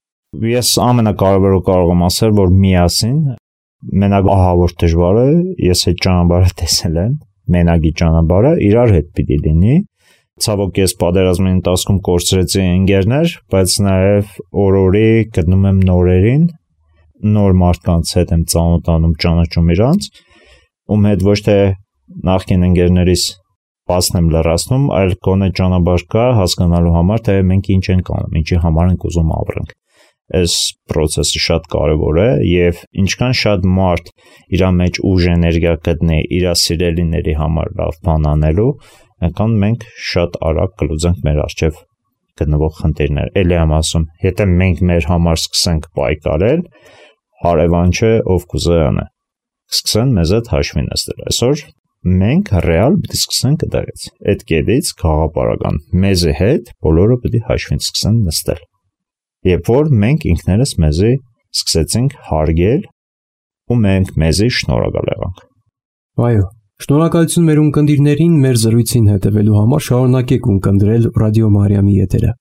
Ես ամենակարևորը կարող եմ ասել, որ միասին մենակ ահա որ դժվար է, ես այդ ճանապարհը տեսել եմ, մենակի ճանապարհը իրար հետ պիտի լինի։ Ցավոք ես պատերազմի ընթացքում կորցրեցի ընկերներ, բայց նաև օր-օրի գտնում եմ նորերին, նոր մարդկանց հետ եմ ծանոթանում, ճանաչում իրանց, ում հետ ոչ թե նախկին ընկերներիս բացն եմ լրացնում, այլ գոնե ճանապարհ կա հասկանալու համար, թե մենք ինչ ենք անում, ինչի համար ենք ուզում ապրենք։ Այս process-ը շատ կարևոր է եւ ինչքան շատ մարդ իր մեջ ուժ էներգիա գտնի իր սիրելիների համար լավ բան անելու, այնքան մենք շատ արագ կլուծենք մեր առջև գտնվող խնդիրները։ Էլի եմ ասում, եթե մենք մեր համար սկսենք պայքարել, հարևան չէ ով կուզե անե։ Սկսեն մեզ այդ հաշվի նստել։ Այսօր մենք ռեալ պիտի սկսենք դրանից։ Այդ կետից խաղապարական մեզի հետ բոլորը պիտի հաշվին սկսեն նստել։ Երբ որ մենք ինքներս մեզի սկսեցինք հարգել ու մենք մեզի շնորհակալ եղանք։ Այո, շնորհակալություն մեր ունկնդիրներին մեր զրույցին հետևելու համար, շարունակեք ունկնդրել Ռադիո Մարիամի եթերը։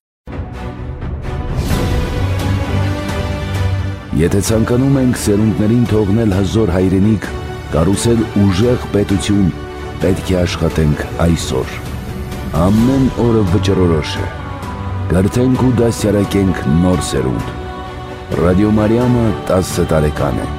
Եթե ցանկանում ենք սերունդներին թողնել հզոր հայրենիք, կառուցել ուժեղ պետություն, պետք է աշխատենք այսօր։ Ամեն օրը վճռորոշ է։ Կրթենք ու դասյարակենք նոր սերունդ։ Ռադիո Մարիամը տասը տարեկան է։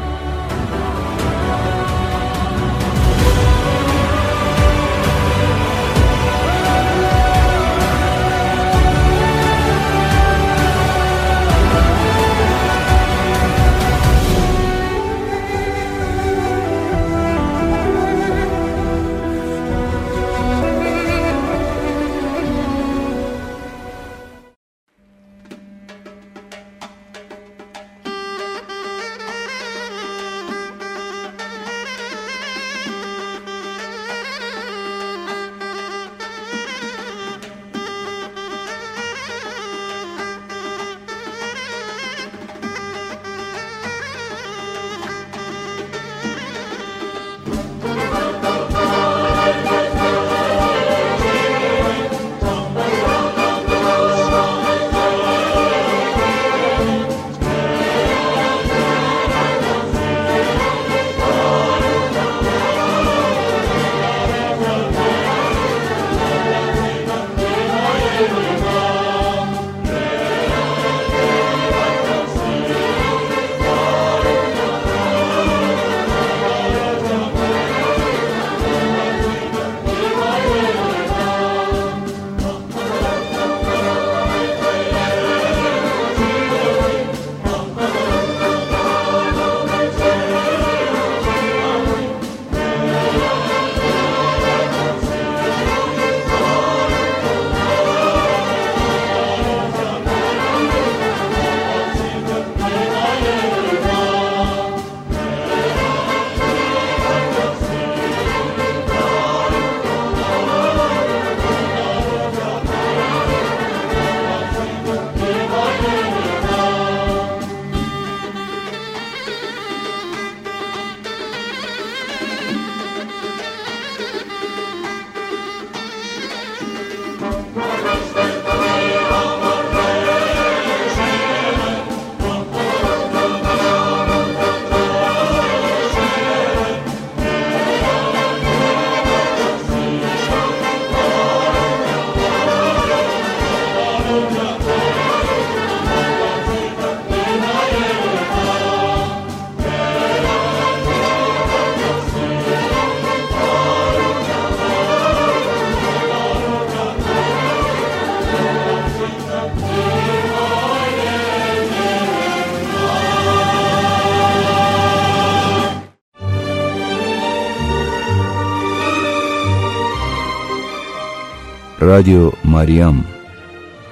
Ռադիո Մարիամ,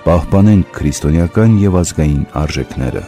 պահպանենք քրիստոնեական եւ ազգային արժեքները։